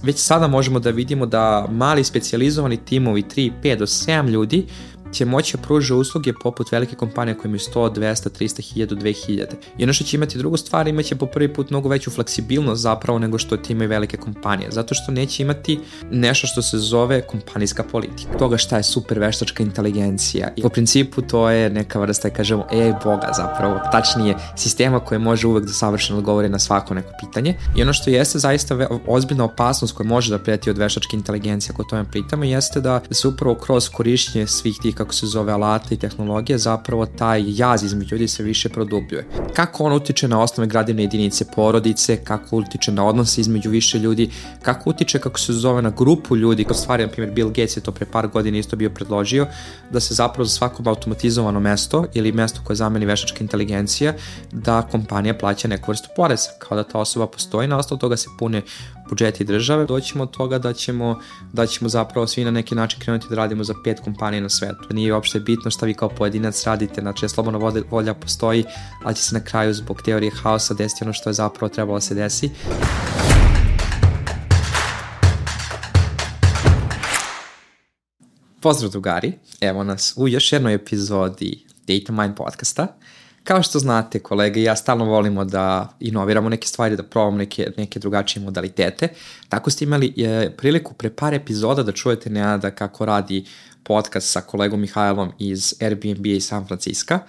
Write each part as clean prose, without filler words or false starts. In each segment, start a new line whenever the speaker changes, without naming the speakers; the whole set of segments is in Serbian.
već sada možemo da vidimo da mali specijalizovani timovi 3, 5 do 7 ljudi će moći da pruže usluge poput velike kompanije koje imaju 100, 200, 300, 1000, 2000. I ono što će imati drugu stvar, imaće po prvi put mnogo veću fleksibilnost zapravo nego što ti imaju velike kompanije, zato što neće imati nešto što se zove kompanijska politika. Toga šta je super veštačka inteligencija. I po principu to je neka vrsta, kažemo, AI boga zapravo, tačnije sistema koji može uvek da savršeno odgovori na svako neko pitanje. I ono što jeste zaista ozbiljna opasnost koja može da preti od veštačke inteligencije, ako o tome pritamo, jeste da se upravo kroz korišćenje svih tih, kako se zove, alata i tehnologije, zapravo taj jaz između ljudi se više produbljuje. Kako on utiče na osnovne gradivne jedinice porodice, kako utiče na odnose između više ljudi, kako utiče, kako se zove, na grupu ljudi. Kao stvari, na primjer, Bill Gates je to pre par godina isto bio predložio, da se zapravo za svako automatizovano mesto ili mesto koje zameni veštačka inteligencija, da kompanija plaća neku vrstu poreza, kao da ta osoba postoji, na osnovu toga se pune budžeti države. Doćemo od toga da ćemo zapravo svi na neki način krenuti da radimo za 5 kompanija na svetu. Nije uopšte bitno šta vi kao pojedinac radite, znači slobodna volja postoji, ali će se na kraju zbog teorije haosa desiti ono što je zapravo trebalo da se desi. Pozdrav drugari, evo nas u još jednoj epizodi Data Mind podcasta. Kao što znate, kolege, ja stalno volimo da inoviramo neke stvari, da probamo neke drugačije modalitete. Tako ste imali priliku pre par epizoda da čujete Nenada kako radi podcast sa kolegom Mihajlom iz Airbnb iz San Francisco.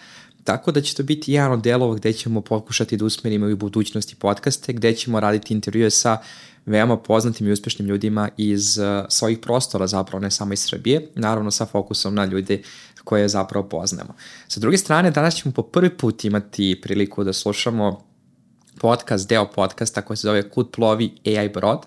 Tako da će to biti jedan od delova gde ćemo pokušati da usmerimo i u budućnosti podcaste, gde ćemo raditi intervjue sa veoma poznatim i uspešnim ljudima iz svojih prostora, zapravo ne samo iz Srbije, naravno sa fokusom na ljude koje zapravo poznamo. Sa druge strane, danas ćemo po prvi put imati priliku da slušamo podcast, deo podcasta koji se zove Kud plovi AI brod.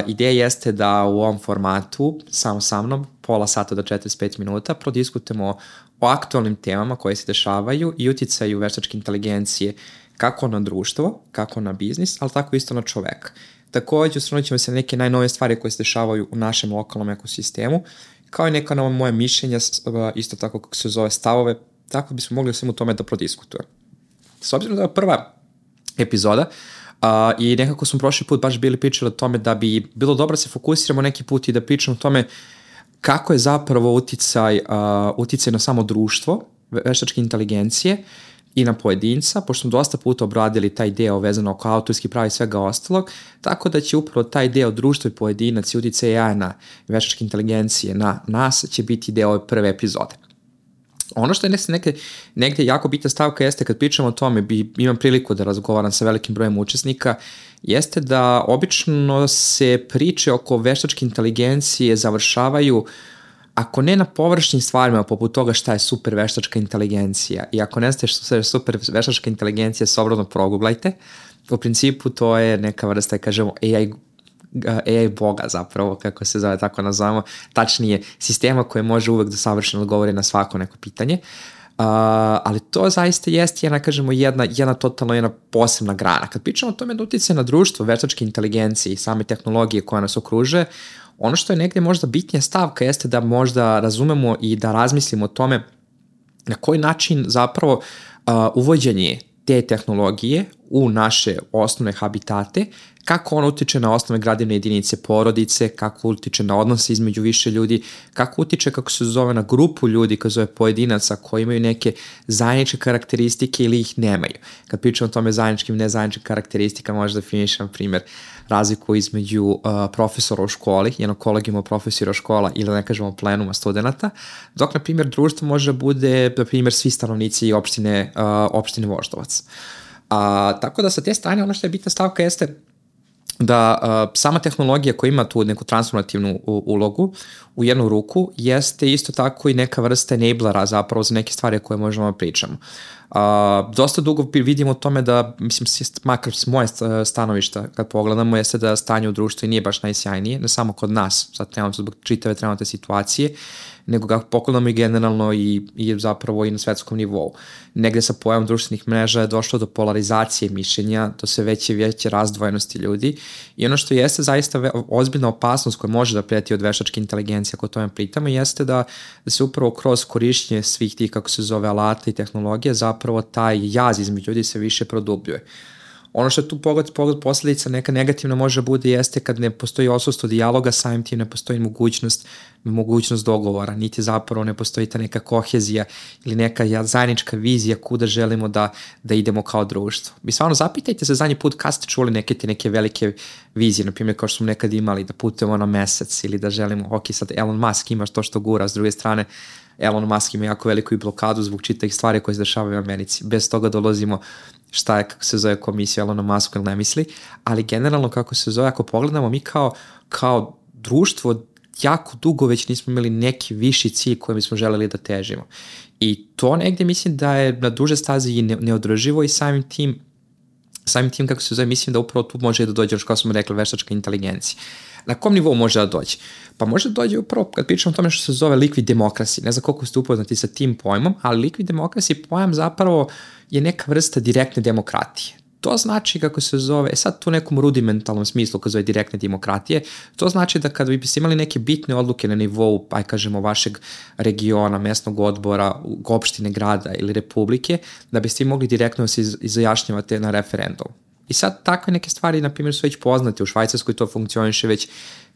Ideja jeste da u ovom formatu, samo sa mnom, pola sata do 45 minuta, prodiskutujemo o aktualnim temama koje se dešavaju i uticaju veštačke inteligencije kako na društvo, kako na biznis, ali tako isto na čoveka. Takođe, osvrnut ćemo se na neke najnovije stvari koje se dešavaju u našem lokalnom ekosistemu, kao i neka nova moja mišljenja, isto tako kako se zove stavove, tako bismo mogli o svemu tome da prodiskutujemo. S obzirom da je prva epizoda, i nekako smo prošli put baš bili pričali o tome da bi bilo dobro da se fokusiramo neki put i da pričamo o tome kako je zapravo uticaj na samo društvo, veštačke inteligencije i na pojedinca, pošto smo dosta puta obradili taj deo vezano oko autorski prava i svega ostalog, tako da će upravo taj deo društvo i pojedinac i uticaj AI na veštačke inteligencije na nas će biti deo ove prve epizode. Ono što je negde jako bitna stavka jeste kad pričamo o tome, imam priliku da razgovaram sa velikim brojem učesnika, jeste da obično se priče oko veštačke inteligencije završavaju, ako ne na površnim stvarima poput toga šta je super veštačka inteligencija, i ako ne znate što je super veštačka inteligencija, slobodno proguglajte. U principu to je neka vrsta, kažemo, AI boga zapravo, kako se zove, tako nazvamo, tačnije sistema koje može uvek da savršeno odgovori na svako neko pitanje. Ali to zaista jeste jedna totalno posebna grana. Kad pričamo o tome da utiče na društvo, veštačke inteligencije i same tehnologije koja nas okružuje, ono što je negde možda bitnija stavka jeste da možda razumemo i da razmislimo o tome na koji način zapravo uvođenje te tehnologije u naše osnovne habitate, kako ono utiče na osnovne gradivne jedinice porodice, kako utiče na odnose između više ljudi, kako utiče, kako se zove, na grupu ljudi, kao zove pojedinaca koji imaju neke zajedničke karakteristike ili ih nemaju. Kad pričamo o tome zajedničkim i nezajedničkim karakteristika, možda definišem, na primjer, razliku između profesora u školi, jednog kolegijuma profesora škola ili ne kažemo plenuma studenta, dok, na primjer, društvo može da bude, na primjer, svi stanovnici opštine Voždovac. Tako da sa te strane ono što je bitna stavka jeste da sama tehnologija koja ima tu neku transformativnu ulogu u jednu ruku jeste isto tako i neka vrsta enablera zapravo za neke stvari koje možemo da pričamo. Dosta dugo vidimo o tome da, mislim, makar s moje stanovišta kad pogledamo, jeste da stanje u društvu nije baš najsjajnije, ne samo kod nas, sad trenutno zbog čitave trenutne situacije, nego kako pogledamo i generalno i zapravo i na svetskom nivou. Negde sa pojavom društvenih mreža je došlo do polarizacije mišljenja, do sve veće i veće razdvojenosti ljudi, i ono što jeste zaista ozbiljna opasnost koja može da preti od veštačke inteligencije, ako o tome pritamo, jeste da se upravo kroz korišćenje svih tih, kako se zove, alata i tehnologije, zapravo taj jaz između ljudi se više produbljuje. Ono što je tu pogled posljedica neka negativna može bude jeste kad ne postoji odsustvo dijaloga, samim tim ne postoji mogućnost dogovora, niti zapravo ne postoji ta neka kohezija ili neka zajednička vizija kuda želimo da idemo kao društvo. Vi stvarno zapitajte se zadnji put kad ste čuli neke velike vizije, na primjer kao što smo nekad imali da putujemo na mesec ili da želimo, sad Elon Musk ima to što gura, s druge strane Elon Musk ima jako veliku i blokadu zbog čitavih stvari koje se dešavaju u Americi. Bez toga dolazimo šta je, kako se zove komisija Elona Musk ili ne misli, ali generalno kako se zove, ako pogledamo mi kao društvo jako dugo već nismo imali neki viši cilj kojem bismo želeli da težimo. I to negdje mislim da je na duže stazi i neodrživo i samim tim kako se zove, mislim da upravo tu može da dođe, kao smo rekli, veštačka inteligencija. Na kom nivou može da dođe? Pa može da dođe upravo kad pričamo o tome što se zove liquid democracy. Ne znam koliko ste upoznati sa tim pojmom, ali liquid democracy pojam zapravo je neka vrsta direktne demokratije. To znači kako se zove, sad tu u nekom rudimentalnom smislu kad zove direktne demokratije, to znači da kada biste imali neke bitne odluke na nivou, kažemo, vašeg regiona, mesnog odbora, opštine, grada ili republike, da biste mogli direktno se izjašnjavate na referendum. I sad takve neke stvari, na primjer, su već poznate. U Švajcarskoj to funkcioniše već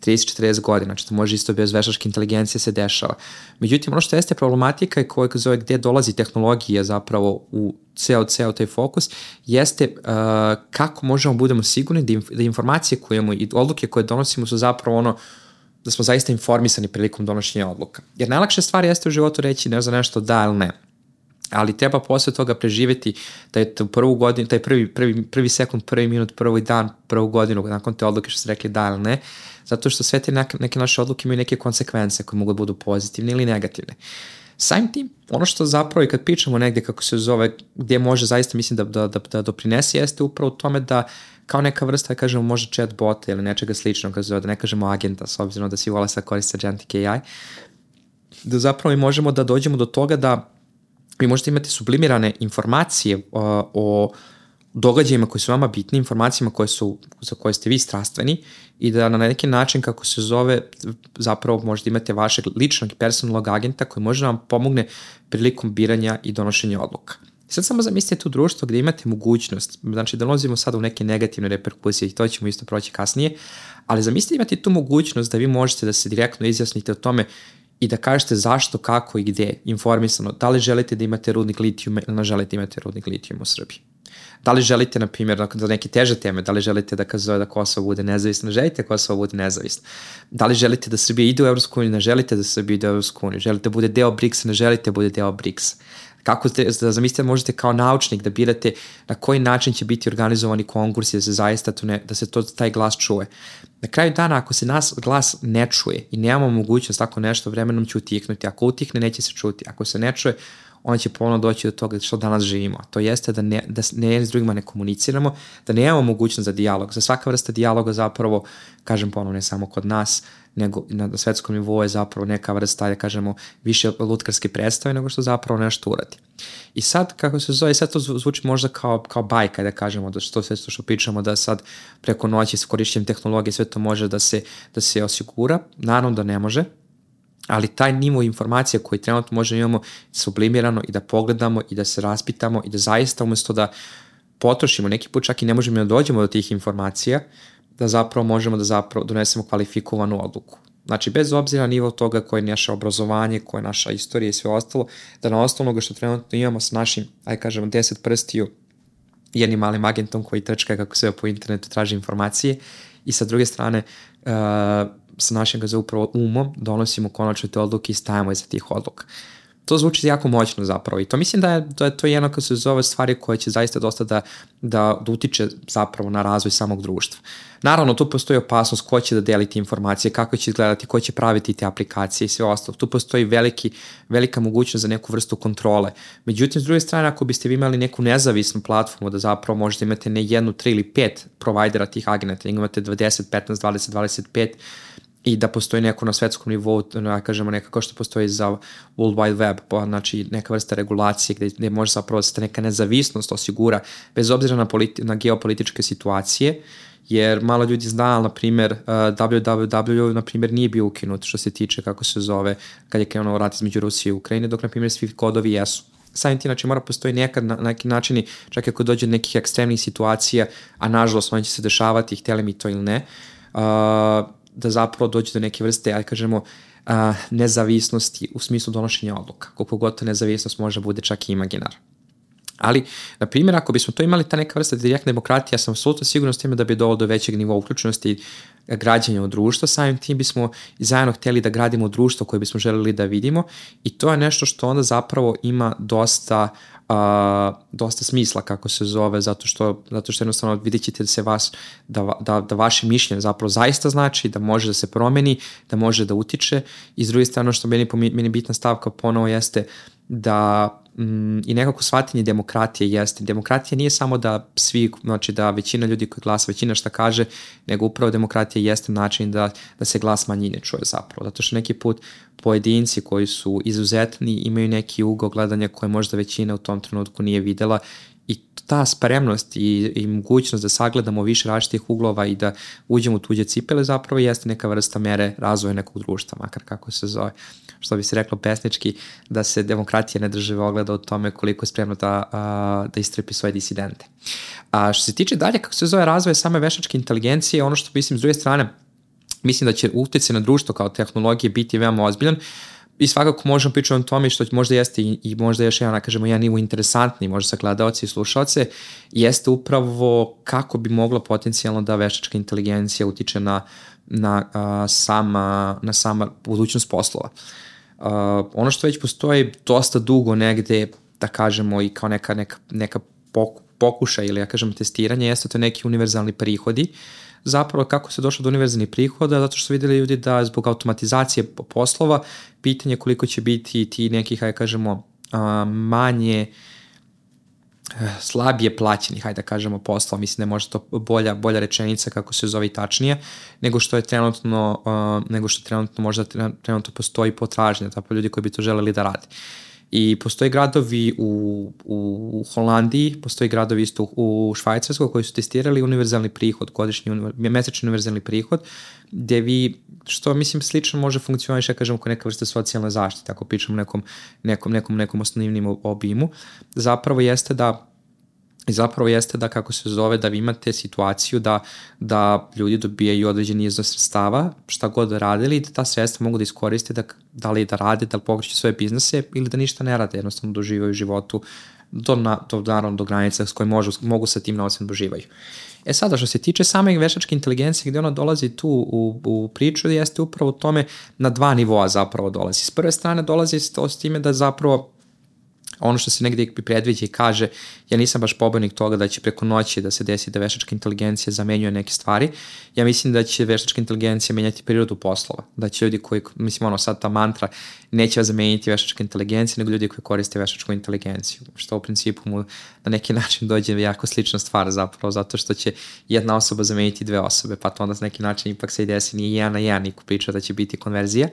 30-40 godina, znači to može isto bez veštačke inteligencije se dešava. Međutim, ono što jeste problematika i koja zove gde dolazi tehnologija zapravo u ceo taj fokus, jeste kako možemo budemo sigurni da informacije koje imamo i odluke koje donosimo su zapravo ono da smo zaista informisani prilikom donošenja odluka. Jer najlakša stvar jeste u životu reći ne za nešto da ili ne. Ali treba posle toga preživjeti da je prvu godinu, taj prvi sekund, prvi minut, prvi dan, prvu godinu, nakon te odluke što ste rekli da ili ne, zato što sve te neke naše odluke imaju neke konsekvence koje mogu da budu pozitivne ili negativne. Samim tim, ono što zapravo i kad pričamo negdje kako se zove, gdje može zaista mislim da doprinese jeste upravo u tome da kao neka vrsta, kažemo, možda chatbota ili nečega sličnog, da ne kažemo agenta, s obzirom da svi vole sad koriste Agentic AI, da zapravo i možemo da dođemo do toga da vi možete imati sublimirane informacije o događajima koji su vama bitni, informacijama za koje ste vi strastveni i da na neki način, kako se zove, zapravo možete imate vašeg ličnog i personalnog agenta koji može vam pomogne prilikom biranja i donošenja odluka. I sad samo zamislite tu društvo gdje imate mogućnost, znači da dolazimo sada u neke negativne reperkusije i to ćemo isto proći kasnije, ali zamislite imate tu mogućnost da vi možete da se direktno izjasnite o tome i da kažete zašto, kako i gdje, informisano, da li želite da imate rudnik litijuma ili ne želite imati rudnik litijuma u Srbiji. Da li želite, na primjer, za neke teže teme, da li želite da Kosovo bude nezavisno, ne želite da Kosovo bude nezavisno. Da li želite da Srbija ide u EU, ne želite da Srbija ide u EU, želite da bude deo BRICS-a, ne želite da bude deo BRICS-a. Kako da zamislite, možete kao naučnik da birate na koji način će biti organizovani konkursi da se zaista taj glas čuje. Na kraju dana, ako se nas glas ne čuje i nemamo mogućnost tako nešto, vremenom će utihnuti. Ako utihne, neće se čuti. Ako se ne čuje, onda će ponovno doći do toga što danas živimo. To jeste da ne s drugima ne komuniciramo, da nemamo mogućnost za dijalog. Za svaka vrsta dijaloga zapravo, kažem ponovno, ne samo kod nas, nego na svetskom nivou je zapravo neka vrsta, da kažemo, više lutkarske predstave nego što zapravo nešto uradi. I sad, kako se zove, sad to zvuči možda kao bajka, da kažemo, da sve što pričamo, da sad preko noći s korišćenjem tehnologije sve to može da se osigura. Naravno da ne može, ali taj nivo informacija koji trenutno možemo imamo sublimirano i da pogledamo i da se raspitamo i da zaista umjesto da potrošimo, neki put čak i ne možemo da dođemo do tih informacija, da zapravo možemo da donesemo kvalifikovanu odluku. Znači, bez obzira na nivo toga koje je naše obrazovanje, koje je naša istorija i sve ostalo, da na osnovu onoga što trenutno imamo s našim, 10 prstiju, jednim malim agentom koji trčka kako sve po internetu traži informacije i sa druge strane sa našim upravo umom donosimo konačno te odluke i stajemo iza tih odluka. To zvuči jako moćno zapravo i to mislim da je to jedno kad se zove stvari koje će zaista dosta da utiče zapravo na razvoj samog društva. Naravno, tu postoji opasnost ko će da deliti informacije, kako će izgledati, ko će praviti te aplikacije i sve ostalo. Tu postoji velika mogućnost za neku vrstu kontrole. Međutim, s druge strane, ako biste vi imali neku nezavisnu platformu da zapravo možete imati ne 1, 3 ili 5 provajdera tih agenata, imate 10, 15, 20, 25 i da postoji neko na svetskom nivou, kažemo nekako što postoji za World Wide Web, pa znači neka vrsta regulacije gdje može zapravo se neka nezavisnost osigura bez obzira na geopolitičke situacije, jer malo ljudi zna, na primjer, www, na primjer, nije bio ukinut što se tiče, kako se zove, kad je krenuo rat između Rusije i Ukrajine, dok, na primjer, svi kodovi jesu. samim tim, znači mora postoji nekad na neki način, čak ako dođe do nekih ekstremnih situacija, a nažalost oni će se dešavati, htjeli mi to ili ne, da zapravo dođe do neke vrste, ajde kažemo, nezavisnosti u smislu donošenja odluka. Koliko god ta nezavisnost može bude čak i imaginar. Ali, na primjer, ako bismo to imali, ta neka vrsta direktne demokratije, ja sam apsolutno siguran s time da bi dovelo do većeg nivoa uključenosti građanja u društvo, samim tim bismo i zajedno htjeli da gradimo društvo koje bismo želeli da vidimo i to je nešto što onda zapravo ima dosta smisla, kako se zove, zato što jednostavno vidjet ćete da se da vaše mišljenje zapravo zaista znači, da može da se promeni, da može da utiče i s druge strane što meni bitna stavka ponovo jeste da i nekako shvatanje demokratije jeste. Demokratija nije samo da svi, znači da većina ljudi koji glasa, većina šta kaže, nego upravo demokratija jeste način da se glas manjine čuje zapravo. Zato što neki put pojedinci koji su izuzetni imaju neki ugao gledanja koje možda većina u tom trenutku nije videla i ta spremnost i mogućnost da sagledamo više različitih uglova i da uđemo u tuđe cipele zapravo jeste neka vrsta mere razvoja nekog društva, makar kako se zove. Što bi se reklo pesnički, da se demokratija ne drži ogleda o tome koliko je spremno da istrepi svoje disidente. A što se tiče dalje, kako se zove razvoj same veštačke inteligencije, ono što mislim s druge strane, mislim da će utjecaj na društvo kao tehnologije biti veoma ozbiljan i svakako možemo pričati o tome što možda jeste i možda još jedan, kažemo, jedan nivo interesantni, možda sa gledalci i slušalce, jeste upravo kako bi mogla potencijalno da veštačka inteligencija utiče na sama budućnost poslova. Ono što već postoji dosta dugo negde, da kažemo, i kao neka pokušaj ili, ja kažem, testiranje, jeste to neki univerzalni prihodi. Zapravo kako se došlo do univerzalnih prihoda, zato što su vidjeli ljudi da zbog automatizacije poslova, pitanje koliko će biti ti nekih, hajde kažemo, manje slabije plaćenih, hajde da kažemo, posla, mislim da je možda to bolja rečenica kako se zove i tačnije, nego što trenutno možda trenutno postoji potražnja, zapravo ljudi koji bi to želeli da rade. I postoji gradovi u Holandiji, postoji gradovi isto u Švajcarskoj koji su testirali univerzalni prihod, mesečni univerzalni prihod, gde vi, što mislim slično može funkcionirati, ja kažem, kao neka vrsta socijalne zaštite, ako pričamo nekom osnovnim obimu, zapravo jeste da kako se zove, da vi imate situaciju da ljudi dobijaju određeni iznos sredstava, šta god da radili, i da ta sredstva mogu da iskoriste da li da rade, da li pokreću svoje biznese ili da ništa ne rade, jednostavno doživaju u životu naravno do granica s koje mogu sa tim novcem doživaju. Sada, što se tiče same veštačke inteligencije, gde ona dolazi tu u priču, jeste upravo tome na dva nivoa zapravo dolazi. S prve strane dolazi s time da zapravo ono što se negdje predviđa i kaže, ja nisam baš pobornik toga da će preko noći da se desi da veštačka inteligencija zamenjuje neke stvari. Ja mislim da će veštačka inteligencija menjati prirodu poslova. Da će ljudi koji, mislim, sad ta mantra, neće zameniti veštačka inteligencija, nego ljudi koji koriste veštačku inteligenciju. Što u principu mu na neki način dođe jako slična stvar zapravo, zato što će jedna osoba zameniti dve osobe, pa to onda na neki način ipak se i desi nije 1 na 1, niko priča da će biti konverzija.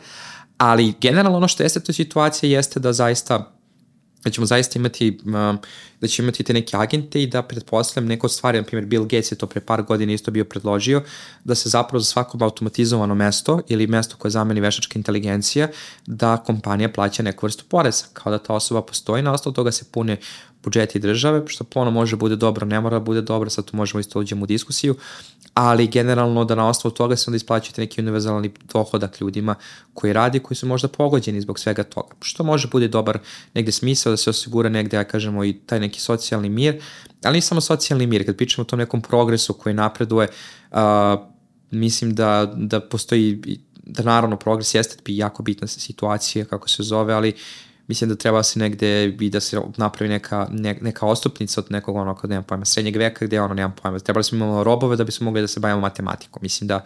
Ali generalno ono što jeste to situacija jeste da ćemo zaista imati te neke agente i da pretpostavljam neko stvari, na primjer Bill Gates je to pre par godina isto bio predložio, da se zapravo za svako automatizovano mesto ili mesto koje zameni veštačka inteligencija, da kompanija plaća neku vrstu poreza, kao da ta osoba postoji, na osnovu toga se pune budžeti države, što ponovno može bude dobro, ne mora bude dobro, sad tu možemo isto uđemo u diskusiju, ali generalno da na osnovu toga se onda isplaćujete neki univerzalni dohodak ljudima koji radi, koji su možda pogođeni zbog svega toga, što može bude dobar negde smisao da se osigura negde, ja kažemo, i taj neki socijalni mir, ali nije samo socijalni mir, kad pričamo o tom nekom progresu koji napreduje, mislim da postoji, da naravno progres jeste jako bitna situacija, kako se zove, ali mislim da treba se negde i da se napravi neka ostupnica od nekog kod nema pojma, srednjeg veka gde nema pojma. Trebali smo imamo robove da bismo mogli da se bavimo matematikom. Mislim da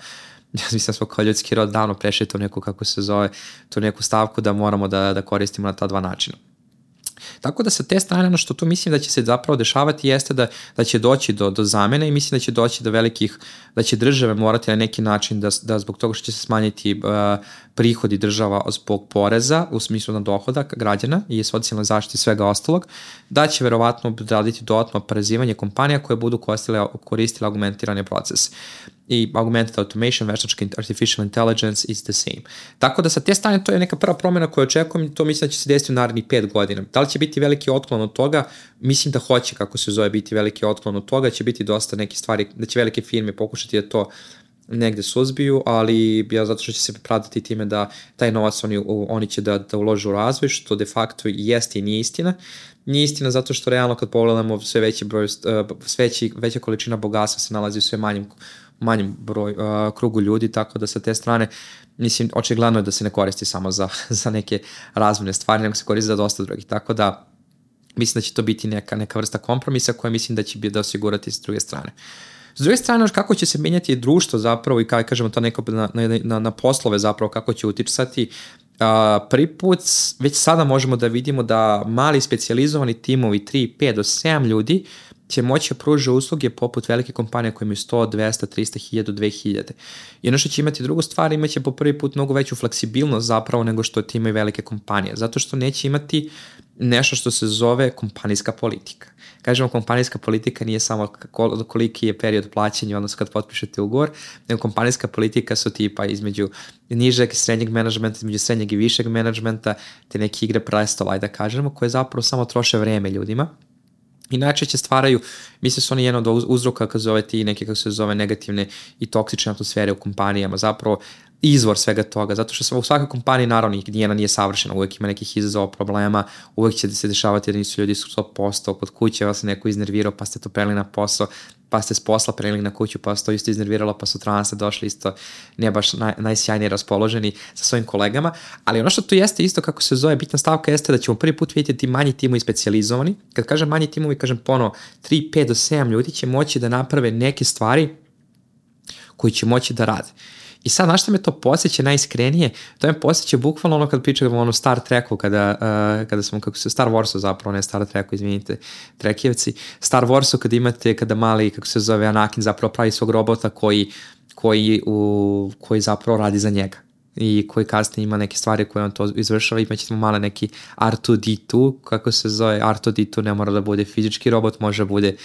smo kao ljudski rod davno prešli to neku, kako se zove, tu neku stavku da moramo da koristimo na ta dva načina. Tako da sa te strane ono što tu mislim da će se zapravo dešavati jeste da će doći do zamene i mislim da će doći do velikih, da će države morati na neki način da zbog toga što će se smanjiti prihodi država zbog poreza u smislu na dohodak građana i socijalne zaštite i svega ostalog, da će verovatno raditi dodatno oporezivanje kompanija koje budu koristile argumentirane procese. i augmented automation, veštačka artificial intelligence is the same. Tako da sa te strane to je neka prva promjena koju očekujem i to mislim da će se desiti u narednih 5 godina. Da li će biti veliki otklon od toga? Mislim da hoće, kako se zove, biti veliki otklon od toga, će biti dosta neke stvari, da će velike firme pokušati da to negde suzbiju, ali ja zato što će se pravdati time da taj novac oni će da ulože u razvoj, što de facto jeste i nije istina. Nije istina zato što realno kad pogledamo sve veći broj, veća količina bogatstva se nalazi u sve manjem krugu ljudi, tako da sa te strane mislim, očigledno je da se ne koristi samo za neke razvojne stvari, nego se koristi za dosta drugih, tako da mislim da će to biti neka vrsta kompromisa koja mislim da će da osigurati s druge strane. S druge strane, kako će se menjati društvo zapravo i kako kažemo to neko na poslove zapravo, kako će uticati. Prvi put već sada možemo da vidimo da mali specijalizovani timovi 3, 5 do 7 ljudi će moći pružiti usluge poput velike kompanije koje imaju 100, 200, 300, 1000, 2000. I ono što će imati drugu stvar, imaće po prvi put mnogo veću fleksibilnost zapravo nego što imaju velike kompanije, zato što neće imati nešto što se zove kompanijska politika. Kažemo, kompanijska politika nije samo koliki je period plaćanja, odnosno kad potpišete ugovor, nego kompanijska politika su tipa između nižeg i srednjeg menadžmenta, između srednjeg i višeg menadžmenta, te neke igre prestola, da kažemo, koje zapravo samo troše vreme ljudima. I najčešće stvaraju, mislim su oni jedan od uzroka kako zove ti neke kako se zove negativne i toksične atmosfere u kompanijama, zapravo izvor svega toga, zato što u svakoj kompaniji naravno nijedna nije savršena, uvek ima nekih izazova, problema, uvek će se dešavati da nisu ljudi 100%, kod kuće vas neko iznervirao pa ste to prelili na posao, pa ste s posla prelili na kuću pa ste to isto iznerviralo pa sutra ste došli isto ne baš najsjajnije raspoloženi sa svojim kolegama, ali ono što tu jeste isto kako se zove bitna stavka jeste da ćemo prvi put vidjeti manji timovi specijalizovani. Kad kažem manji timovi, kažem ponovo 3, 5 do 7 ljudi će moći da naprave neke stvari koji će moći da rade. I sad, na što me to posjeća najiskrenije? To me posjeća bukvalno ono kad pričamo o Star Treku, kada smo, kako se, Star Warsu zapravo, ne Star Treku, izvinite, Trekijevci, Star Warsu kada mali, kako se zove, Anakin zapravo pravi svog robota koji zapravo radi za njega i koji kasnije ima neke stvari koje on to izvršava, imaćemo male neki R2-D2, kako se zove, R2-D2 ne mora da bude fizički robot, može bude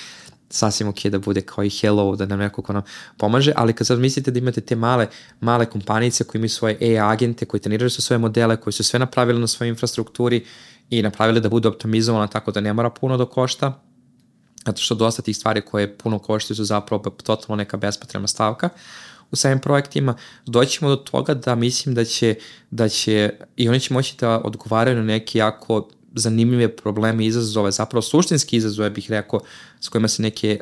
sasvim ok da bude kao i Hello, da nam neko ko nam pomaže, ali kad sad mislite da imate te male kompanice koje imaju svoje AI agente, koji treniraju su svoje modele, koji su sve napravili na svojoj infrastrukturi i napravili da budu optimizovane tako da ne mora puno da košta, zato što dosta tih stvari koje puno koštaju su zapravo totalno neka bespotrebna stavka u samim projektima, doćemo do toga da mislim da će i oni će moći da odgovaraju na neki jako zanimljive probleme i izazove, zapravo suštinski izazove bih rekao, s kojima se neke,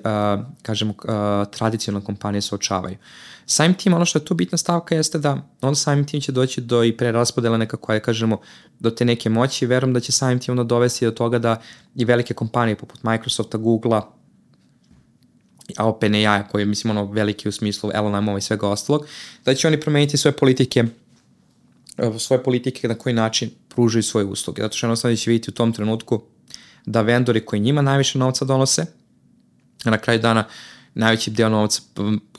tradicionalne kompanije suočavaju. Samim tim, ono što je tu bitna stavka jeste da on samim tim će doći do i preraspodela nekako, kažemo, do te neke moći i verujem da će samim tim ono dovesti do toga da i velike kompanije poput Microsofta, Googlea, OpenAI, koji je, mislim, ono veliki u smislu LLM-ova i svega ostalog, da će oni promeniti svoje politike na koji način pružaju svoje usluge. Zato što jednostavno će vidjeti u tom trenutku da vendori koji njima najviše novca donose, a na kraju dana najveći deo novca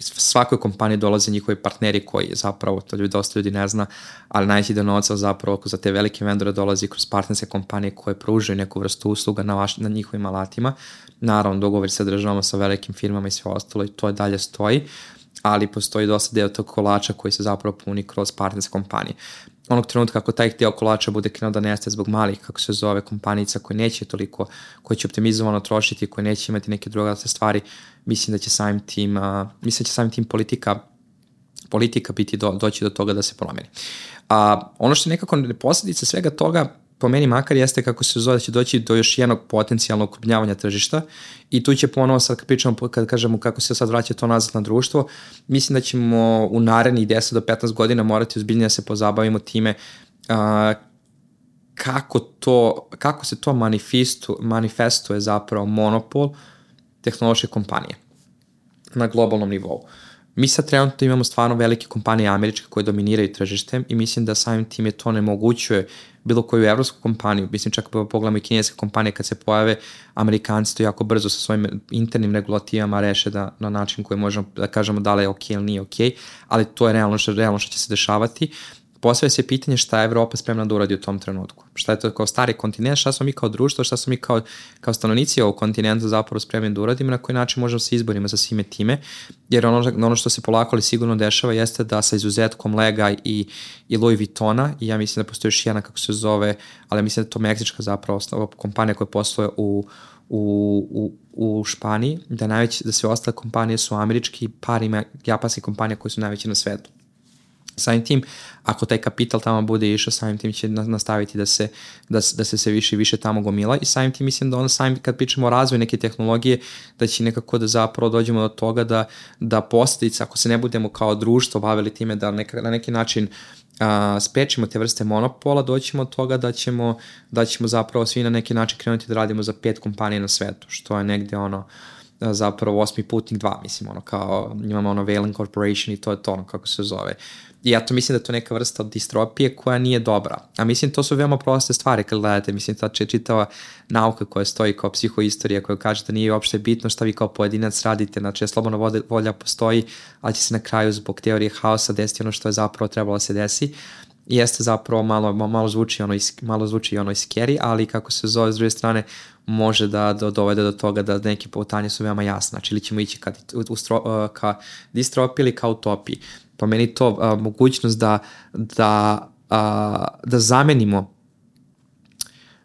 svakoj kompaniji dolaze njihovi partneri koji zapravo, to dosta ljudi ne zna, ali najveći deo novca zapravo za te velike vendore dolazi kroz partnerske kompanije koje pružaju neku vrstu usluga na njihovim alatima. Naravno, dogovor sa državama, sa velikim firmama i sve ostalo i to dalje stoji, ali postoji dosta deo tog kolača koji se zapravo puni kroz partnerske kompanije. Onog trenutka kako taj deo kolača bude krenuo da nestaje zbog malih, kako se zove, kompanica koje neće toliko, koje će optimizovano trošiti, koje neće imati neke druge stvari, mislim da će samim tim politika biti doći do toga da se promeni. Ono što je nekako posljedica svega toga, po meni makar, jeste kako se zove da će doći do još jednog potencijalnog okrupnjavanja tržišta i tu će ponovo sad kad kažemo kako se sad vraća to nazad na društvo, mislim da ćemo u narednih 10 do 15 godina morati ozbiljnije da se pozabavimo time kako se to manifestuje zapravo monopol tehnološke kompanije na globalnom nivou. Mi sad trenutno imamo stvarno velike kompanije američke koje dominiraju tržištem i mislim da samim tim je to nemogućuje bilo koju evropsku kompaniju, mislim čak pogledamo i kineske kompanije kad se pojave, Amerikanci to jako brzo sa svojim internim regulativama reše da na način koji možemo da kažemo da li je ok ili nije ok, ali to je realno što će se dešavati. postavlja se pitanje šta je Evropa spremna da uradi u tom trenutku. Šta je to kao stari kontinent, šta smo mi kao društvo, šta smo mi kao stanovnici ovog kontinenta zapravo spremni da uradimo, na koji način možemo se izborimo sa svime time, jer ono što se polako ali sigurno dešava jeste da sa izuzetkom Lega i Louis Vuittona, i ja mislim da postoji još jedna kako se zove, ali mislim da je to meksička zapravo kompanija koja posluje u Španiji, da sve ostale kompanije su američki, par ima japanskih kompanija koje su najveće na svetu. Samim tim, ako taj kapital tamo bude išao, samim tim će nastaviti da se sve više i više tamo gomila, i samim tim mislim da ono samim kad pričamo o razvoju neke tehnologije, da će nekako da zapravo dođemo do toga da posljedice, ako se ne budemo kao društvo bavili time da na neki način sprečimo te vrste monopola, doćemo od toga da ćemo zapravo svi na neki način krenuti da radimo za 5 kompanija na svetu, što je negde zapravo 8. putnik 2, mislim, kao imamo Wayland Corporation i to je to kako se zove. I ja to mislim da je to neka vrsta distropije koja nije dobra. A mislim, to su veoma proste stvari kad gledate. Mislim, ta čitava nauka koja stoji kao psihoistorija, koja kaže da nije uopšte bitno šta vi kao pojedinac radite. Znači, slobodna volja postoji, ali će se na kraju zbog teorije haosa desiti ono što je zapravo trebalo da se desi. I jeste zapravo malo zvuči scary, ali kako se zove s druge strane može da dovede do toga da neke putanje su veoma jasne. Znači, ili ćemo ići ka distropiji ili ka utopiji. Pa meni to mogućnost da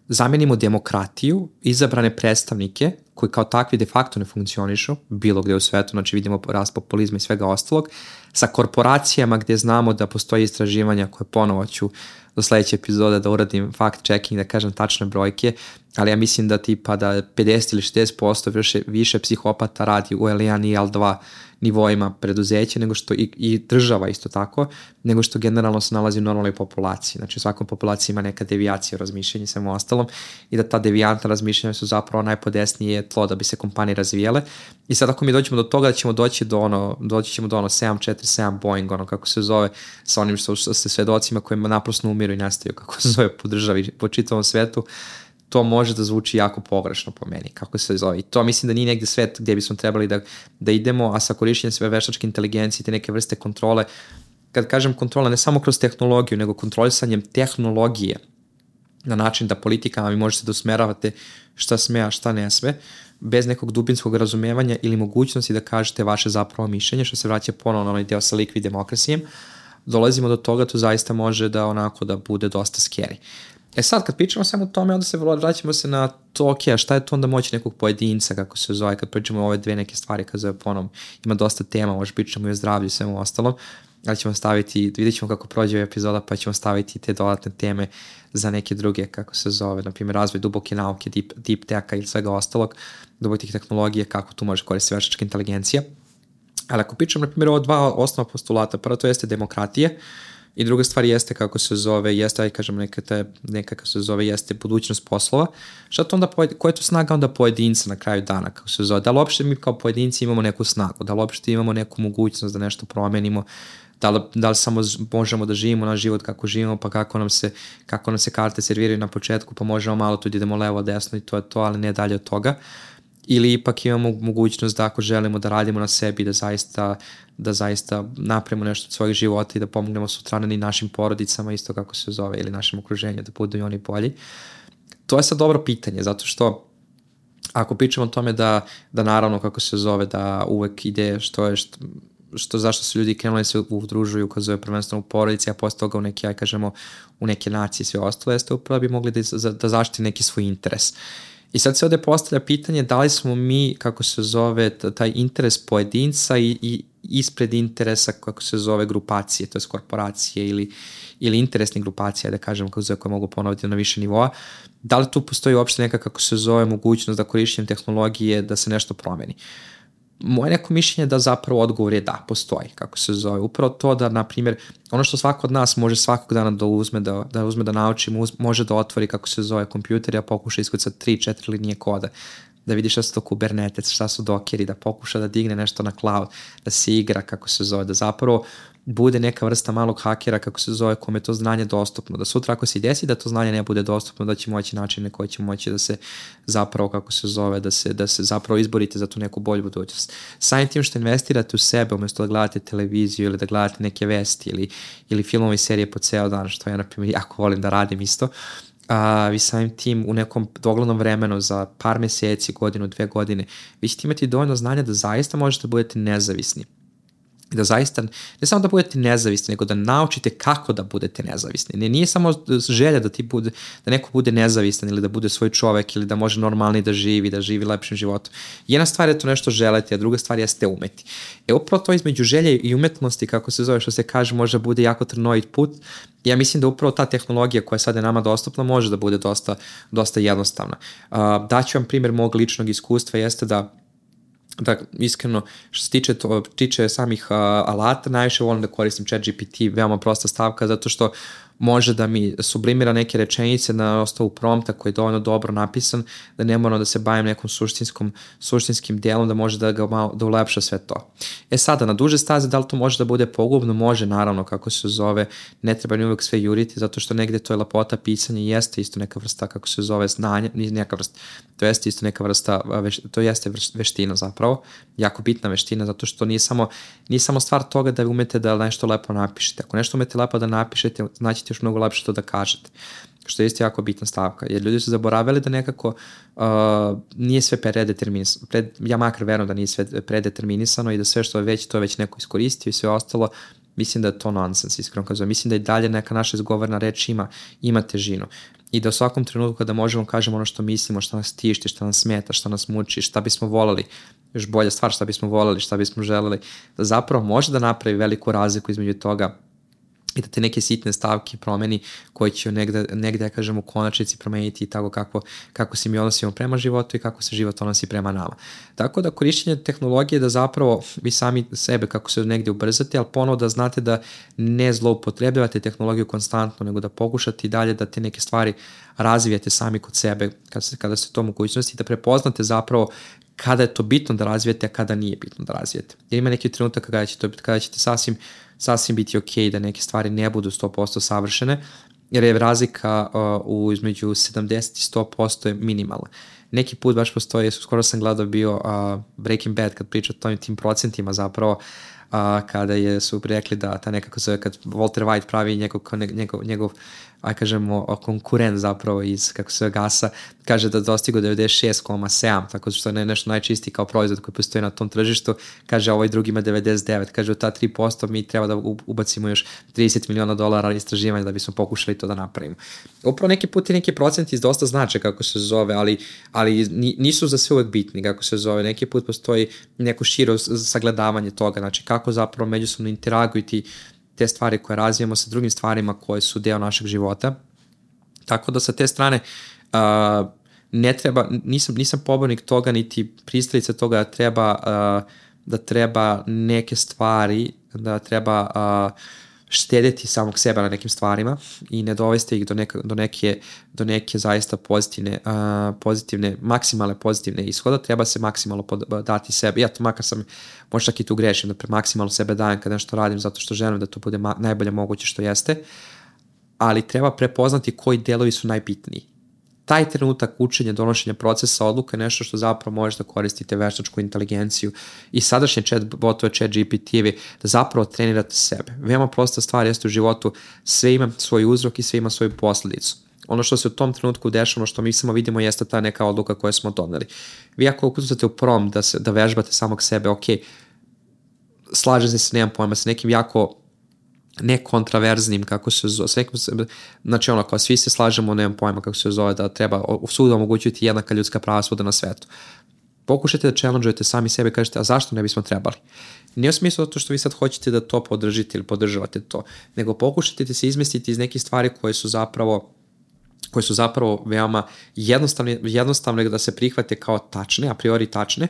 zamenimo demokratiju, izabrane predstavnike koji kao takvi de facto ne funkcionišu bilo gde u svetu, znači vidimo rast populizma i svega ostalog, sa korporacijama gde znamo da postoji istraživanja koje ponovo ću do sledeće epizode da uradim fact checking, da kažem tačne brojke, ali ja mislim da tipa da 50 ili 60% više psihopata radi u L1 i L2 nivoima preduzeća, nego što i država isto tako, nego što generalno se nalazi u normalnoj populaciji. Znači u svakoj populaciji ima neka devijacija razmišljanja i svemu ostalom, i da ta devijantna razmišljanja su zapravo najpodesnije tlo da bi se kompanije razvijele. I sad ako mi dođemo do toga da ćemo doći do 747 Boeing, kako se zove, sa onim što se svedocima kojima naprosto umiru i nastaju, kako se zove, po državi, po čitavom svetu, to može da zvuči jako pogrešno po meni, kako se zove. I to mislim da nije negde svet gdje bismo trebali da idemo, a sa korišćenjem sve veštačke inteligencije, te neke vrste kontrole, kad kažem kontrola, ne samo kroz tehnologiju, nego kontrolisanjem tehnologije na način da politikama vi možete da usmeravate šta sme, a šta ne sme, bez nekog dubinskog razumevanja ili mogućnosti da kažete vaše zapravo mišljenje, što se vraća ponovno na onaj deo sa liquid demokrasijem, dolazimo do toga, to zaista može da bude dosta scary. Sad, kad pričamo samo o tome, onda se vraćamo se na to, a šta je to onda moći nekog pojedinca, kako se zove, kad pričamo o ove dve neke stvari, kad zove ponovno, ima dosta tema, možda pričamo i o zdravlju i svemu ostalom, ali ćemo vidjet ćemo kako prođe epizoda, pa ćemo staviti te dodatne teme za neke druge, kako se zove, na primjer, razvoj duboke nauke, deep tech-a ili svega ostalog, dubokih tehnologije, kako tu može koristiti veštačka inteligencija. Ali ako pričamo, na primjer, o 2 osnovna postulata, prvo to jeste demokratije, i druga stvar jeste kako se zove, jeste budućnost poslova. Šta to onda, koja je to snaga onda pojedinca na kraju dana, kako se zove? Da li uopšte mi kao pojedinci imamo neku snagu, da li uopšte imamo neku mogućnost da nešto promenimo, da li samo možemo da živimo naš život kako živimo, pa kako nam se karte serviraju na početku, pa možemo malo tu idemo levo, desno i to je to, ali ne dalje od toga. Ili ipak imamo mogućnost da ako želimo da radimo na sebi, da zaista napravimo nešto od svojih života i da pomognemo sutradan i našim porodicama, isto kako se zove, ili našem okruženju, da budu i oni bolji. To je sad dobro pitanje, zato što ako pričamo o tome da naravno, kako se zove, da uvek ide zašto su ljudi krenuli se udružuju, kad zove prvenstveno u porodici, a posle toga u neke nacije i sve ostalo, jeste upravo bi mogli da zaštiti neki svoj interes. I sad se ovde postavlja pitanje da li smo mi, kako se zove, taj interes pojedinca i ispred interesa, kako se zove, grupacije, to je korporacije ili interesne grupacije, da kažem, kako se zove, koje mogu ponoviti na više nivoa. Da li tu postoji uopšte neka, kako se zove, mogućnost da korišćenjem tehnologije da se nešto promeni? Moje neko mišljenje je da zapravo odgovor je da, postoji, kako se zove. Upravo to da, na primjer, ono što svako od nas može svakog dana da uzme da nauči, može da otvori, kako se zove, kompjuter i da pokuša iskucati 3-4 linije koda, da vidi šta su to Kubernetes, šta su dokeri, da pokuša da digne nešto na cloud, da se igra, kako se zove, da zapravo bude neka vrsta malog hakera, kako se zove, kome je to znanje dostupno. Da sutra ako se desi da to znanje ne bude dostupno, da će moći načine koji će moći da se zapravo, kako se zove, da se zapravo izborite za tu neku bolju budućnost. Samim tim što investirate u sebe, umjesto da gledate televiziju ili da gledate neke vesti ili filmove i serije po ceo dan, što ja, na primjer, jako volim da radim isto, vi samim tim u nekom doglednom vremenu za par meseci, godinu, 2 godine, vi ćete imati dovoljno znanja da zaista možete da budete nezavisni. Da zaista, ne samo da budete nezavisni, nego da naučite kako da budete nezavisni. Nije samo želja da neko bude nezavistan ili da bude svoj čovek ili da može normalni da živi lepšim životom. Jedna stvar je to nešto želeti, a druga stvar jeste umeti. Upravo to između želje i umetnosti, kako se zove, što se kaže, može bude jako trnovit put. Ja mislim da upravo ta tehnologija koja sada je nama dostupna može da bude dosta jednostavna. Daću vam primjer mog ličnog iskustva, jeste da iskreno, što se tiče samih alata, najviše volim da koristim ChatGPT, veoma prosta stavka, zato što može da mi sublimira neke rečenice na osnovu prompta koji je dovoljno dobro napisan, da ne moram da se bavim nekom suštinskim delom, da može da ulepša sve to. Sada, na duže staze, da li to može da bude pogubno? Može, naravno, kako se zove, ne treba ni uvek sve juriti, zato što negde to je lepota pisanja i jeste isto neka vrsta, kako se zove, znanja, neka vrsta, to jeste isto neka vrsta, to jeste veština zapravo, jako bitna veština, zato što nije samo stvar toga da umete da nešto lepo napišete. Ako nešto umete lepo da napišete, znači još mnogo lepše to da kažete, što je isto jako bitna stavka, jer ljudi su zaboravili da nekako nije sve predeterminisano, ja makar verujem da nije sve predeterminisano i da sve što je već, to je već neko iskoristio i sve ostalo, mislim da je to nonsens, iskreno kazujem. Mislim da i dalje neka naša izgovorna reč ima težinu i da u svakom trenutku kada možemo kažemo ono što mislimo, što nas tišti, što nas smeta, što nas muči, šta bismo voleli, još bolja stvar, šta bismo voleli, šta bismo želeli, da zapravo može da napravi veliku razliku između toga i da te neke sitne stavke promeni koje će negde kažem, u konačnici promeniti i tako kako se mi odnosimo prema životu i kako se život odnosi prema nama. Tako da korišćenje tehnologije da zapravo vi sami sebe kako se negde ubrzate, ali ponovo da znate da ne zloupotrebljavate tehnologiju konstantno, nego da pokušate i dalje da te neke stvari razvijate sami kod sebe kada ste to mogućnosti, da prepoznate zapravo kada je to bitno da razvijete, a kada nije bitno da razvijete. Jer ima neki trenutak kada ćete sasvim biti ok da neke stvari ne budu 100% savršene, jer je razlika između 70 i 100% je minimalna. Neki put baš postoji, skoro sam gledao bio Breaking Bad kad priča o tim procentima zapravo, kada su rekli da ta nekako zove, kad Walter White pravi njegov aj kažemo konkurent zapravo iz kako se gasa, kaže da dostigo 96,7, tako što je nešto najčistiji kao proizvod koji postoji na tom tržištu, kaže ovaj drugi ima 99, kaže u ta 3% mi treba da ubacimo još $30 miliona istraživanja da bismo pokušali to da napravimo. Upravo neki put i neki procenti dosta znače kako se zove, ali nisu za sve uvek bitni kako se zove, neki put postoji neko širo sagledavanje toga, znači kako zapravo međusobno interaguju te stvari koje razvijamo sa drugim stvarima koje su deo našeg života. Tako da sa te strane ne treba, nisam pobornik toga niti pristalica toga da treba neke stvari, da treba štedeti samog sebe na nekim stvarima i ne dovesti ih do neke zaista pozitivne, maksimalne pozitivne ishoda, treba se maksimalno dati sebi. Ja to makar sam, možda čak i tu grešim, da maksimalno sebe dajem kad nešto radim zato što želim da to bude najbolje moguće što jeste, ali treba prepoznati koji delovi su najbitniji. Taj trenutak učenja, donošenja procesa odluka je nešto što zapravo možeš da koristite veštačku inteligenciju i sadašnje botove ChatGPT-evi da zapravo trenirate sebe. Veoma prosta stvar jeste u životu, sve ima svoj uzrok i sve ima svoju posledicu. Ono što se u tom trenutku dešava, ono što mi samo vidimo jeste ta neka odluka koju smo doneli. Vi ako ukucate u prom da vežbate samog sebe, ok, slažete se, nemam pojma, sa nekim jako nekontraverznim, kako se zove, znači ono, kao svi se slažemo, nemam pojma kako se zove, da treba svuda omogućiti jednaka ljudska prava svuda na svetu. Pokušajte da challengeujete sami sebe i kažete, a zašto ne bismo trebali? Nije u smislu zato što vi sad hoćete da to podržite ili podržavate to, nego pokušajte da se izmestiti iz nekih stvari koje su zapravo veoma jednostavne da se prihvate kao tačne, a priori tačne,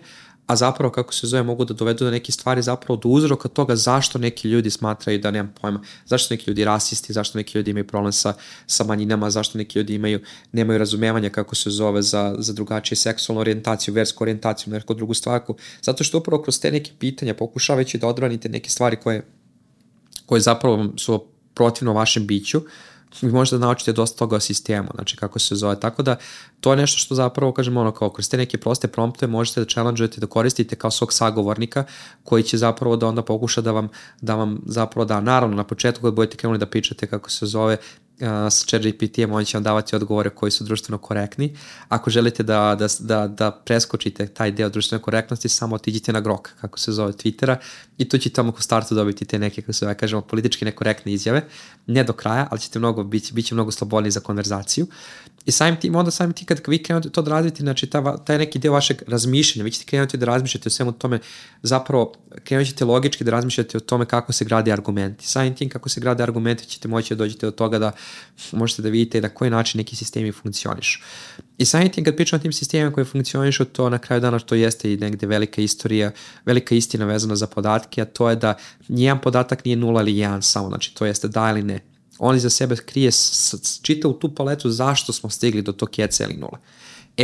a zapravo, kako se zove, mogu da dovedu do neke stvari zapravo do uzroka toga zašto neki ljudi smatraju da nemam pojma, zašto neki ljudi rasisti, zašto neki ljudi imaju problem sa manjinama, zašto neki ljudi nemaju razumevanja, kako se zove, za drugačije seksualnu orijentaciju, versku orijentaciju, neku drugu stvarku, zato što upravo kroz te neke pitanja pokušavajući da odbranite neke stvari koji zapravo su protivno vašem biću, vi možete da naučite dosta toga o sistemu, znači kako se zove, tako da to je nešto što zapravo, kažem, ono, kao kroz te neke proste prompte možete da challengeujete, da koristite kao svog sagovornika koji će zapravo da onda pokuša da vam zapravo da, naravno, na početku kad budete krenuli da pričate kako se zove sa ChatGPT-em, on će vam davati odgovore koji su društveno korektni. Ako želite da preskočite taj deo društvene korektnosti, samo otiđite na Grok, kako se zove, Twittera, i tu ćete tamo u startu dobiti te neke, kako se zove, kažemo, politički nekorektne izjave. Ne do kraja, ali ćete biće mnogo slobodniji za konverzaciju. I samim tim kad vi krenete to da radite, znači taj neki deo vašeg razmišljanja, vi ćete krenuti da razmišljate o svemu tome, zapravo krenut ćete logički da razmišljate o tome kako se grade argumenti. Samim tim kako se grade argumenti ćete moći da dođete do toga da možete da vidite na koji način neki sistemi funkcionišu. I samim tim kad pričam o tim sistemima koji funkcionišu, to na kraju dana to jeste i negde velika istina vezana za podatke, a to je da nijedan podatak nije 0 ili 1 samo, znači to jeste da ili ne. On iza sebe krije čitavu tu paletu zašto smo stigli do tog keca ili nula.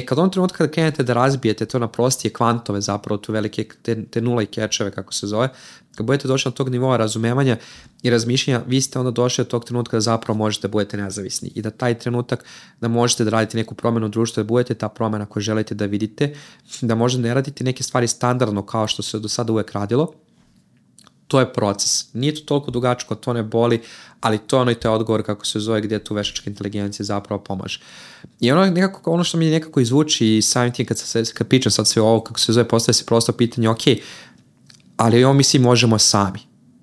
Kad on trenutka kada krenete da razbijete to na prostije kvantove, zapravo tu velike te nula i kečeve, kako se zove, kad budete došli na tog nivoa razumevanja i razmišljanja, vi ste onda došli do tog trenutka da zapravo možete da budete nezavisni i da taj trenutak da možete da radite neku promenu u društvu, da budete ta promena koju želite da vidite, da možda ne radite neke stvari standardno kao što se do sada uvek radilo. To je proces. Nije to toliko dugačko, to ne boli, ali to je taj odgovor, kako se zove, gdje tu veštačka inteligencija zapravo pomaže. I ono što mi nekako izvuči i samim tim kad pričam sad sve ovo, kako se zove, postaje se prosto pitanje, ok, ali ovo mi svi možemo sami.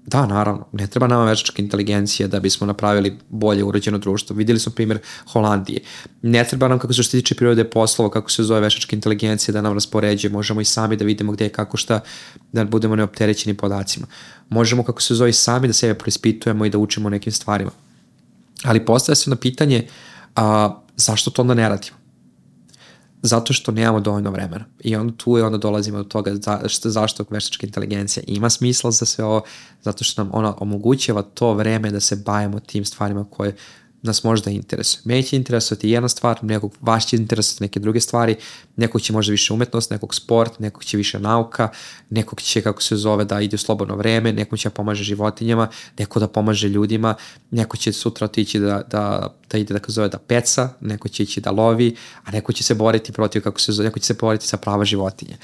Da, naravno, ne treba nama veštačka inteligencija da bismo napravili bolje uređeno društvo. Vidjeli smo primjer Holandije. Ne treba nam, kako se što tiče prirode poslova, kako se zove veštačka inteligencija, da nam raspoređuje. Možemo i sami da vidimo gdje je kako šta, da budemo neopterećeni podacima. Možemo, kako se zove, sami da sebe preispitujemo i da učimo nekim stvarima. Ali postaje se na pitanje zašto to onda ne radimo? Zato što nemamo dovoljno vremena. I onda tu dolazimo do toga zašto veštačka inteligencija ima smisla za sve ovo, zato što nam ona omogućava to vreme da se bavimo tim stvarima koje nas možda interesuje. Meni će interesovati jedna stvar, nekog vas će interesovati neke druge stvari, nekog će možda više umetnost, nekog sport, nekog će više nauka, nekog će, kako se zove, da ide u slobodno vreme, nekog će pomaže životinjama, neko da pomaže ljudima, neko će sutra otići da ide, kako se zove, da peca, neko će ići da lovi, a neko će se boriti protiv, kako se zove, neko će se boriti za prava životinje.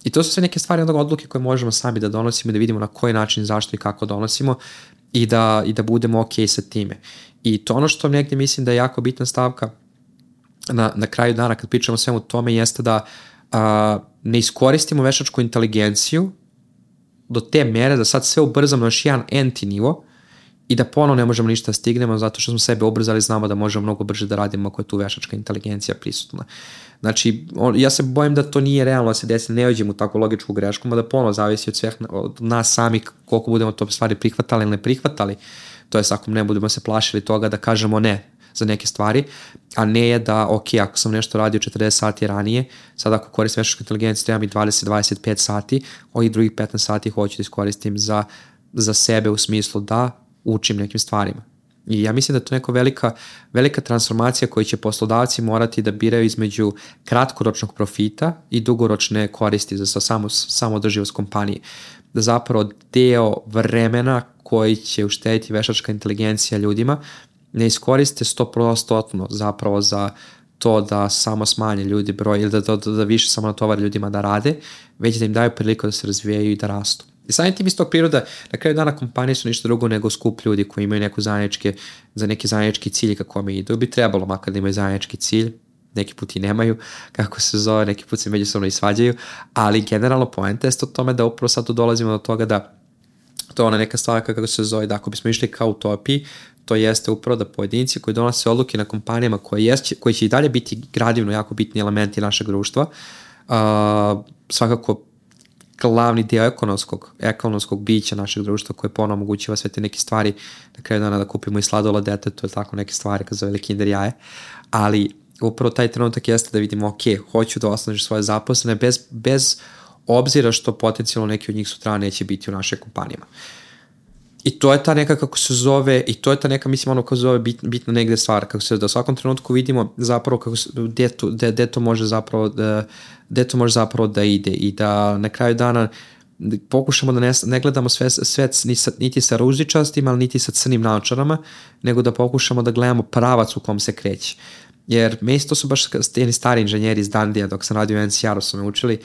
I to su sve neke stvari, odluke koje možemo sami da donosimo, da vidimo na koji način, zašto i kako donosimo i da budemo ok sa time. I to ono što negdje mislim da je jako bitna stavka na kraju dana kad pričamo o svemu tome jeste da ne iskoristimo veštačku inteligenciju do te mere da sad sve ubrzamo na još jedan enti nivo i da ponovno ne možemo ništa stignemo zato što smo sebe ubrzali, znamo da možemo mnogo brže da radimo ako je tu veštačka inteligencija prisutna. Znači, ja se bojim da to nije realno da se desi, ne uđemo u takvu logičku grešku, da ponovno zavisi od nas sami koliko budemo to stvari prihvatali ili ne prihvatali. To je ako ne budemo se plašili toga da kažemo ne za neke stvari, a ne je da, ok, ako sam nešto radio 40 sati ranije, sad ako koristim veštačku inteligenciju, treba mi 20-25 sati, ovih drugih 15 sati hoću da iskoristim za sebe u smislu da učim nekim stvarima. I ja mislim da je to neka velika transformacija koju će poslodavci morati da biraju između kratkoročnog profita i dugoročne koristi za samoodrživost kompanije. Da zapravo deo vremena koji će uštediti veštačka inteligencija ljudima ne iskoriste 100% zapravo za to da samo smanje ljudi broj ili da više samo natovari ljudima da rade, već da im daju priliku da se razvijaju i da rastu. I samim tim iz tog priroda, na kraju dana kompanije su ništa drugo nego skup ljudi koji imaju neki zajednički cilj kako mi idu. Bi trebalo makar da imaju zajednički cilj, neki put i nemaju, kako se zove, neki put se međusobno i svađaju, ali generalno poenta je o tome da upravo sad tu dolazimo do toga da to je ona neka stvar kako se zove, da ako bismo išli kao utopiji, to jeste upravo da pojedinci koji donose odluke na kompanijama koji će i dalje biti gradivno jako bitni elementi našeg društva, svakako glavni dio ekonomskog bića našeg društva koje ponovno omogućava sve te neke stvari, na kraju dana da kupimo i sladoled detetu, tako neke stvari kad zove Kinder jaje, ali upravo taj trenutak jeste da vidimo, ok, hoću da osnažim svoje zaposlene bez obzira što potencijalno neki od njih sutra neće biti u našoj kompanijama. I to je ta neka, kako se zove, i to je ta neka, mislim, kako se zove, bitna negde stvar, kako se da u svakom trenutku vidimo zapravo gde to može zapravo da ide i da na kraju dana pokušamo da ne gledamo svet niti sa ružičastim, ali niti sa crnim naočarama, nego da pokušamo da gledamo pravac u kom se kreće. Jer me isto su baš jedni stari inženjeri iz Dandija, dok sam radio u NCR-u su me učili,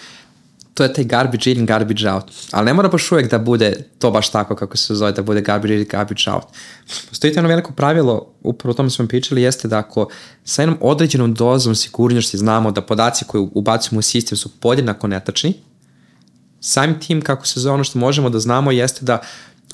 to je taj garbage in, garbage out. Ali ne mora baš uvijek da bude to baš tako kako se zove, da bude garbage in, garbage out. Postoji jedno veliko pravilo, upravo o tome smo pričali, jeste da ako sa jednom određenom dozom sigurnosti znamo da podaci koje ubacimo u sistem su podjednako netačni, samim tim kako se zove ono što možemo da znamo jeste da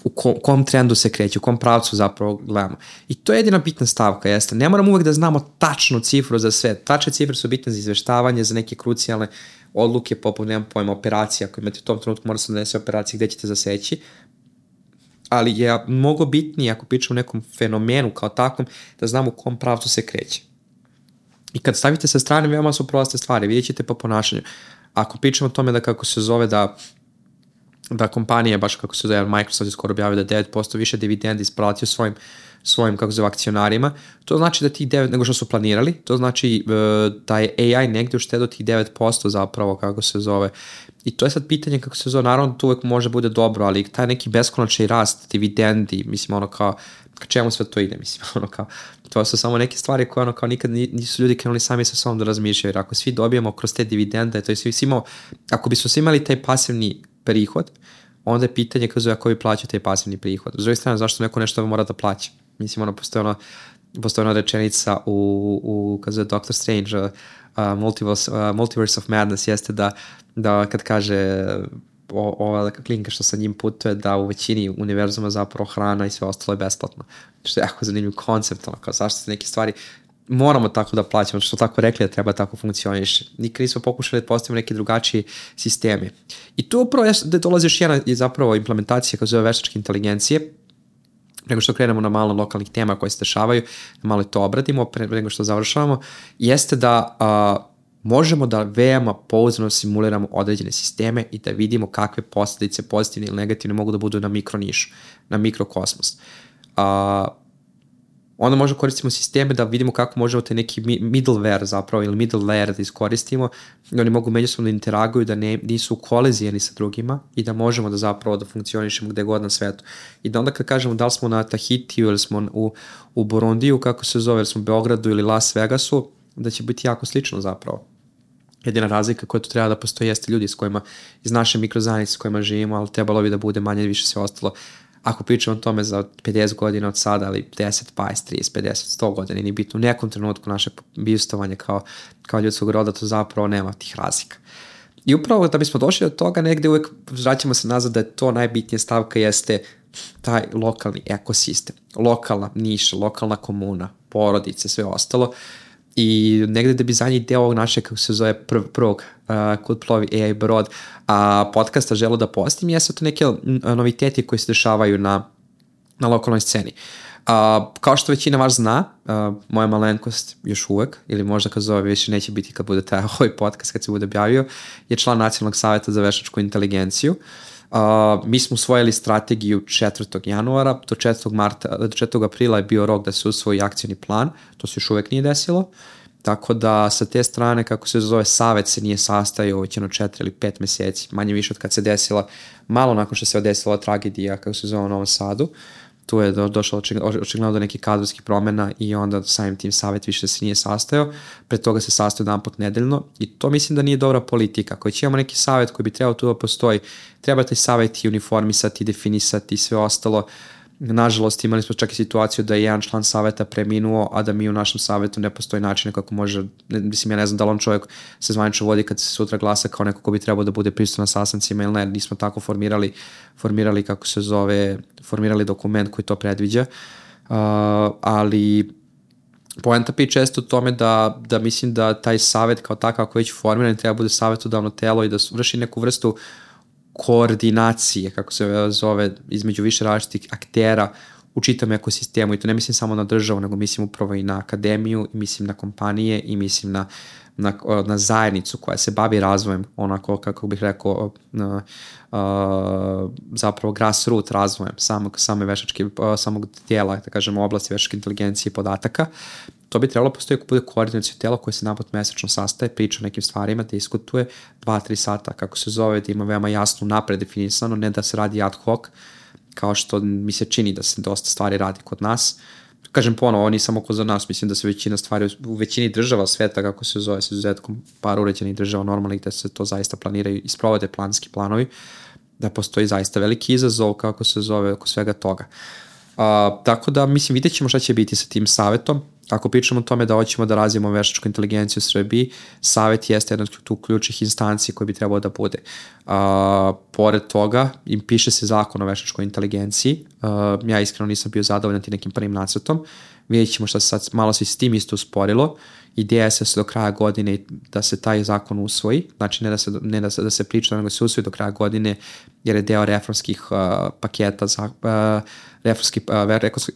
u kom trendu se kreće, u kom pravcu zapravo gledamo. I to je jedina bitna stavka, jeste. Ne moramo uvek da znamo tačnu cifru za sve. Tačne cifre su bitne za izveštavanje, za neke krucijalne odluke, poput, nemam pojma, operacija. Ako imate u tom trenutku, mora se donese operacije gde ćete zaseći. Ali je mnogo bitnije, ako pričamo o nekom fenomenu kao takvom, da znamo u kom pravcu se kreće. I kad stavite sa strane, veoma su proste stvari. Vidjet ćete po ponašanju. Ako pričamo o tome da kako se zove da kompanija, baš kako se zove, Microsoft je skoro objavio da 9% više dividendi isplatio svojim kako se zove, akcionarima, to znači da tih 9, nego što su planirali, to znači da je AI negdje uštedio tih 9% zapravo, kako se zove. I to je sad pitanje kako se zove, naravno to uvek može bude dobro, ali taj neki beskonačni rast dividendi, mislim ono kao, ka čemu sve to ide, mislim ono kao, to su samo neke stvari koje ono kao nikad nisu ljudi krenuli sami sa sobom da razmišljaju, jer ako svi dobijemo kroz te dividende, to je svi imao, ako bismo svi imali taj pasivni prihod, onda je pitanje kako vi plaćate taj pasivni prihod. S druge strane, zašto neko nešto mora da plaća? Mislim, ono, postoji ona rečenica u kako zove Doctor Strange, Multiverse of Madness, jeste da kad kaže ova klinka što sa njim putuje, da u većini univerzuma zapravo hrana i sve ostalo je besplatno. Što je jako zanimljiv koncept, ono, kao zašto se neke stvari moramo tako da plaćamo, što tako rekli da treba tako funkcioniše. Nikad nismo pokušali da postavimo neke drugačije sisteme. I tu upravo da dolazi još jedna zapravo implementacija kao zove veštačke inteligencije, nego što krenemo na malo lokalnih tema koje se dešavaju, da malo to obradimo pre nego što završavamo, jeste da možemo da veoma pouzdano simuliramo određene sisteme i da vidimo kakve posljedice pozitivne ili negativne mogu da budu na mikronišu, na mikrokosmos. Onda možemo koristimo sisteme da vidimo kako možemo te neki middleware zapravo ili middle layer da iskoristimo i oni mogu međusobno da interaguju, da nisu u koliziji jedni sa drugima i da možemo da zapravo da funkcionišemo gde god na svetu. I da onda kad kažemo da li smo na Tahitiju ili smo u Burundiju, kako se zove, ili smo u Beogradu ili Las Vegasu, da će biti jako slično zapravo. Jedina razlika koja tu treba da postoji jeste ljudi s kojima, iz naše mikrozajednice s kojima živimo, ali trebalo bi da bude manje više sve ostalo. Ako pričamo o tome za 50 godina od sada, ali 10, 20, 30, 50, 100 godina, nije bitno u nekom trenutku našeg bivstovanja kao ljudskog roda, to zapravo nema tih razlika. I upravo da bismo došli do toga, negde uvek vraćamo se nazad da je to najbitnija stavka jeste taj lokalni ekosistem, lokalna niša, lokalna komuna, porodice, sve ostalo. I negde da bi zadnji deo ovog našeg, kako se zove, prvog Kud plovi AI brod podcasta želo da postim, jesu to neke noviteti koji se dešavaju na lokalnoj sceni. Kao što većina vas zna, moja malenkost još uvek, ili možda kad zove više neće biti kad bude taj ovaj podcast, kad se bude objavio, je član Nacionalnog savjeta za veštačku inteligenciju. Mi smo usvojili strategiju 4. januara, do 4. aprila je bio rok da se usvoji akcioni plan, to se još uvek nije desilo, tako da sa te strane, kako se zove, savet se nije sastajao već 4 ili 5 meseci, manje više od kad se desila, malo nakon što se desila tragedija, kako se zove, u Novom Sadu. Tu je došlo očigledno do nekih kadrovskih promjena i onda samim tim savjet više se nije sastajao, pre toga se sastajao jedan put nedeljno i to mislim da nije dobra politika. Ako imamo neki savjet koji bi trebao tu da postoji, treba taj savjet i uniformisati, definisati i sve ostalo. Nažalost, imali smo čak i situaciju da je jedan član savjeta preminuo, a da mi u našem savjetu ne postoji način kako može, mislim, ja ne znam da li on čovjek se zvanično vodi kad se sutra glasa kao neko ko bi trebao da bude prisutan na sastancima ili ne, nismo tako formirali kako se zove, formirali dokument koji to predviđa, ali poenta priče često u tome da mislim da taj savjet kao takav ako već formiran treba bude savjetodavno telo i da vrši neku vrstu koordinacije, kako se zove, između više različitih aktera u čitom ekosistemu i to ne mislim samo na državu, nego mislim upravo i na akademiju, i mislim na kompanije, i mislim na zajednicu koja se bavi razvojem, onako kako bih rekao, zapravo grassroot razvojem samog tijela, da kažemo, oblasti veštačke inteligencije i podataka, to bi trebalo postoji ako bude koordinacijno telo koje se napad mesečno sastaje, priča o nekim stvarima, te diskutuje 2-3 sata, kako se zove, da ima veoma jasno napred definisano, ne da se radi ad hoc, kao što mi se čini da se dosta stvari radi kod nas. Kažem ponovo, ovo nije samo kod za nas, mislim da se većina stvari u većini država sveta, kako se zove, s izuzetkom par uređenih država normalnih, da se to zaista planiraju i sprovode planski planovi, da postoji zaista veliki izazov, kako se zove, oko svega toga. Tako da, mislim, vidjet ćemo šta će biti sa tim savetom. Ako pričamo o tome da hoćemo da razvijemo veštačku inteligenciju u Srbiji, savet jeste jedna od ključnih instanci koji bi trebao da bude. Pored toga, im piše se zakon o veštačkoj inteligenciji. Ja iskreno nisam bio zadovoljan tim nekim prvim nacrtom. Vidjet ćemo šta se sad malo se s tim isto usporilo. Ideja je se do kraja godine da se taj zakon usvoji, znači ne da se priča, nego se usvoji do kraja godine, jer je deo reformskih paketa,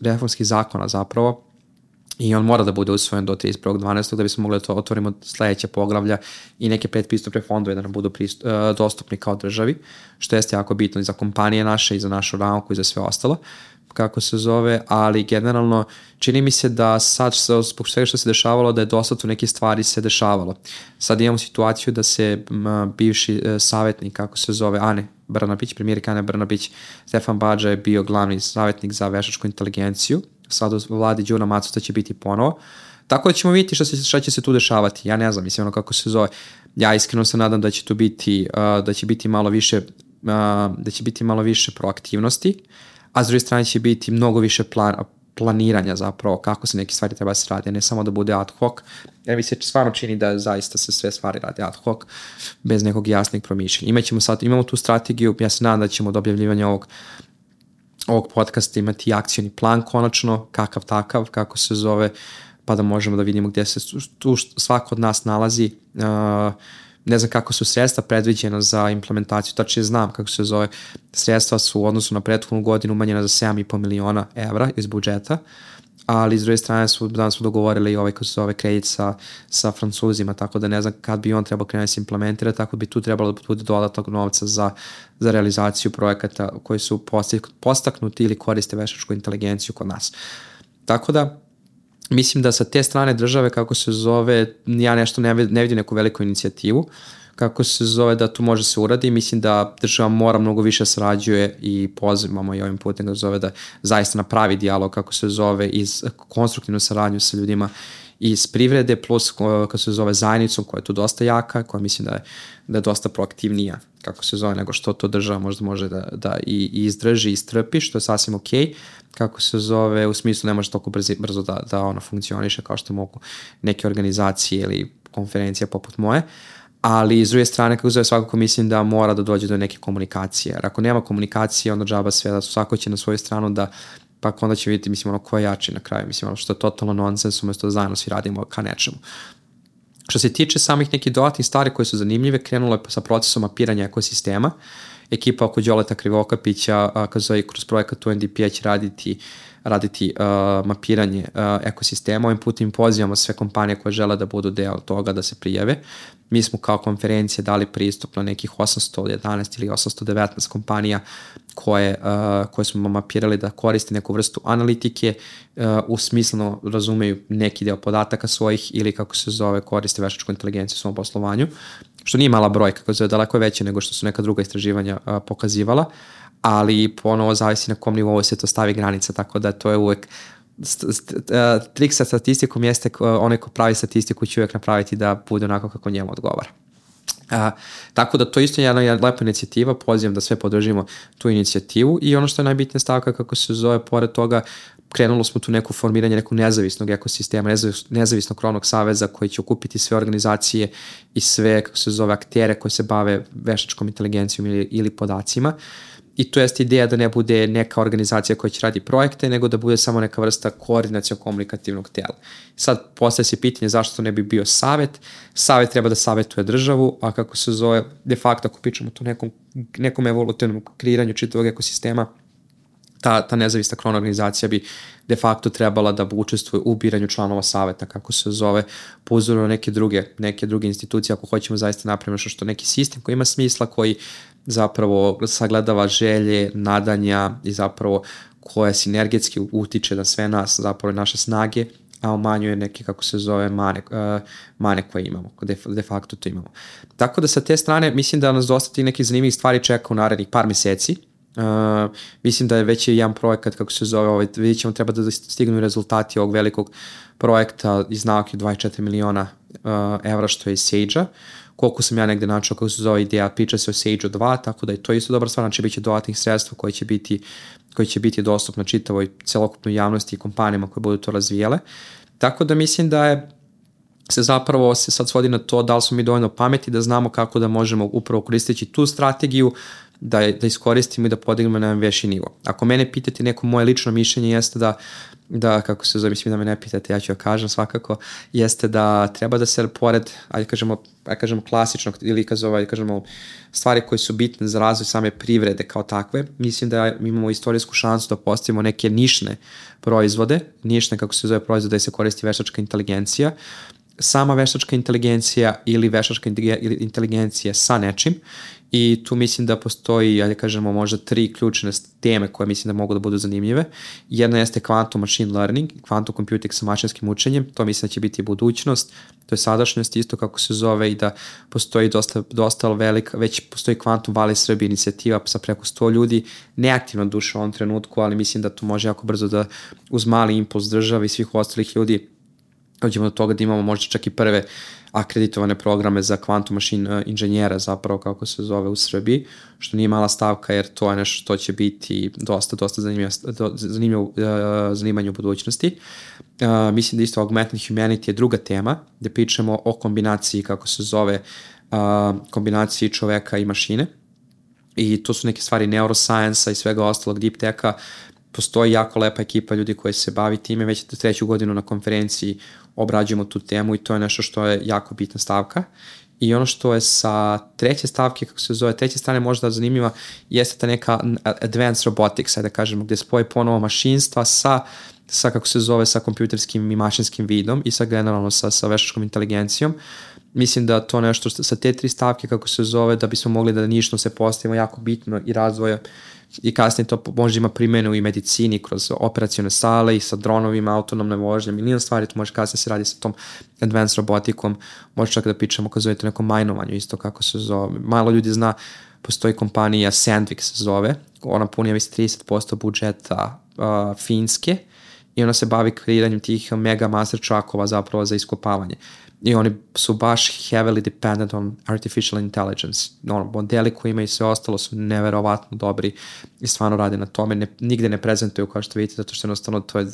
reformskih zakona zapravo, i on mora da bude usvojen do 31.12. da bismo mogli da otvorimo sledeće poglavlja i neke predpristupne fondove da nam budu dostupni kao državi, što jeste jako bitno i za kompanije naše i za našu nauku i za sve ostalo, kako se zove, ali generalno čini mi se da sad zbog svega što se dešavalo, da je dosta tu neke stvari se dešavalo. Sad imamo situaciju da se bivši savjetnik, kako se zove, Ane Brnabić, premijerka Ane Brnabić, Stefan Badža je bio glavni savjetnik za veštačku inteligenciju, sad u vladi Đuna Macuta će biti ponovo, tako da ćemo vidjeti šta će se tu dešavati. Ja ne znam, mislim, ono kako se zove, ja iskreno se nadam da će tu biti, da će biti malo više proaktivnosti, a s druge strane će biti mnogo više planiranja zapravo kako se neke stvari treba se radi, ne samo da bude ad hoc, jer mi se stvarno čini da zaista se sve stvari radi ad hoc, bez nekog jasnih promišljenja. Imamo tu strategiju, ja se nadam da ćemo do objavljivanja ovog podcasta imati akcioni plan konačno, kakav takav, kako se zove, pa da možemo da vidimo gdje se tu svako od nas nalazi. Ne znam kako su sredstva predviđena za implementaciju, tačnije znam kako se zove, sredstva su u odnosu na prethodnu godinu umanjena za 7,5 miliona evra iz budžeta, ali s druge strane danas smo dogovorili i kako se zove kredit sa Francuzima, tako da ne znam kad bi on trebao krenuti se implementirati, tako bi tu trebalo da bude dodatnog novca za realizaciju projekata koji su postaknuti ili koriste veštačku inteligenciju kod nas. Tako da mislim da sa te strane države, kako se zove, ja nešto ne vidim neku veliku inicijativu, kako se zove da tu može se uradi. Mislim da država mora mnogo više sarađuje i pozivamo i ovim putem da zove da zaista napravi dijalog, kako se zove, iz konstruktivnu saradnju sa ljudima iz privrede, plus kako se zove zajednicom koja je tu dosta jaka, koja mislim da je dosta proaktivnija, kako se zove, nego što to država možda može da i izdrži i strpi, što je sasvim okej. Kako se zove, u smislu ne može toliko brzo da ono funkcioniše kao što mogu neke organizacije ili konferencije poput moje, ali s druge strane, kako zove, svakako mislim da mora da dođe do neke komunikacije, jer ako nema komunikacije, onda džaba sve, da svako će na svoju stranu da, pa onda će vidjeti, mislim, ko je jači na kraju, mislim, što je totalno nonsens, umjesto da zajedno svi radimo ka nečemu. Što se tiče samih nekih dodatnih stvari koje su zanimljive, krenulo je sa procesom mapiranja ekosistema. Ekipa oko Đoleta Krivokapića, kroz projekat UNDP će raditi mapiranje ekosistema. Ovim putem pozivamo sve kompanije koje žele da budu deo toga da se prijave. Mi smo kao konferencije dali pristup na nekih 811 ili 819 kompanija koje smo mapirali da koriste neku vrstu analitike, u smisleno razumeju neki deo podataka svojih ili, kako se zove, koriste veštačku inteligenciju u svom poslovanju, što nije mala brojka, kako se zove, daleko je veće nego što su neka druga istraživanja pokazivala, ali ponovo zavisi na kom nivou se to stavi granica, tako da to je uvek trik sa statistikom jeste onaj ko pravi statistiku će uvijek napraviti da bude onako kako njemu odgovara. Tako da to isto je jedna lepa inicijativa, pozivam da sve podržimo tu inicijativu i ono što je najbitnija stavka, kako se zove, pored toga krenulo smo tu neku formiranje nekog nezavisnog ekosistema, nezavisnog krovnog saveza koji će okupiti sve organizacije i sve, kako se zove, aktere koji se bave veštačkom inteligencijom ili podacima. I to jeste ideja da ne bude neka organizacija koja će radi projekte, nego da bude samo neka vrsta koordinacijno-komunikativnog tela. Sad postaje se pitanje zašto to ne bi bio savet. Savet treba da savetuje državu, a kako se zove, de facto ako pričamo o nekom evolutivnom kreiranju čitavog ekosistema, ta nezavisna krovna organizacija bi de facto trebala da učestvuje u biranju članova saveta, kako se zove, po uzoru na neke druge institucije, ako hoćemo zaista napravimo što neki sistem koji ima smisla, koji zapravo sagledava želje, nadanja i zapravo koja sinergetski utiče na sve nas, zapravo naše snage, a umanjuje neke, kako se zove, mane koje imamo, de facto to imamo. Tako da sa te strane mislim da nas dosta tih nekih zanimljivih stvari čeka u narednih par meseci. Mislim da je već jedan projekat, kako se zove, vidjet ćemo, treba da stignu rezultati ovog velikog projekta iz nauke 24 miliona evra, što je iz Sage-a. Koliko sam ja negde načao, kako se zove ideja, priča se o Sage-u 2, tako da je to isto dobra stvar, znači bit će dodatnih sredstva koji će biti dostupno čitavoj celokupnoj javnosti i kompanijama koje budu to razvijele. Tako da mislim da je se zapravo sad svodi na to da li smo mi dovoljno pameti da znamo kako da možemo upravo koristeći tu strategiju da iskoristimo i da podignemo na jedan veći nivo. Ako mene pitate, neko moje lično mišljenje jeste da kako se zove, mislim da me ne pitate, ja ću kažem svakako, jeste da treba da se pored, kažemo klasičnog ili kažemo stvari koje su bitne za razvoj same privrede kao takve, mislim da imamo istorijsku šansu da postavimo neke nišne proizvode, kako se zove proizvode da se koristi veštačka inteligencija, sama veštačka inteligencija ili veštačka inteligencija sa nečim. I tu mislim da postoji, možda 3 ključne teme koje mislim da mogu da budu zanimljive. Jedna jeste quantum machine learning, quantum computing sa mašinskim učenjem, to mislim da će biti budućnost, to je sadašnjost isto kako se zove i da postoji dosta velika, već postoji Quantum Valley Srbije inicijativa sa preko 100 ljudi, neaktivno duše u ovom trenutku, ali mislim da to može jako brzo da uz mali impuls države i svih ostalih ljudi dođemo do toga da imamo možda čak i prve akreditovane programe za quantum machine inženjera zapravo kako se zove u Srbiji, što nije mala stavka jer to je nešto što će biti dosta zanimljivo zanimanje u budućnosti. Mislim da isto augmented humanity je druga tema, gde pričamo o kombinaciji, kako se zove, kombinaciji čoveka i mašine. I to su neke stvari neuroscience-a i svega ostalog, deep tech-a. Postoji jako lepa ekipa ljudi koji se bavi time, već 3. godinu na konferenciji obrađujemo tu temu i to je nešto što je jako bitna stavka. I ono što je sa treće stavke, kako se zove, treće strane možda zanimljiva, jeste ta neka advanced robotics, da kažemo, gde spoje ponovo mašinstva sa kako se zove, sa kompjuterskim i mašinskim vidom i sa generalno sa veštačkom inteligencijom. Mislim da to nešto sa te 3 stavke, kako se zove, da bismo mogli da nišno se postavimo jako bitno i razvoja i kasnije to možda ima primjenu i medicini kroz operacione sale i sa dronovima, autonomne vožnje, milion stvari, to može kasnije se radi sa tom advanced robotikom, može čak da pričamo kad zovete nekom majnovanju, isto kako se zove. Malo ljudi zna, postoji kompanija Sandvik se zove, ona puni 30% budžeta Finske i ona se bavi kreiranjem tih mega master truckova zapravo za iskopavanje. I oni su baš heavily dependent on artificial intelligence. Modeli koji imaju sve ostalo su neverovatno dobri i stvarno rade na tome. Nigde ne prezentuju kao što vidite, zato što jednostavno to je,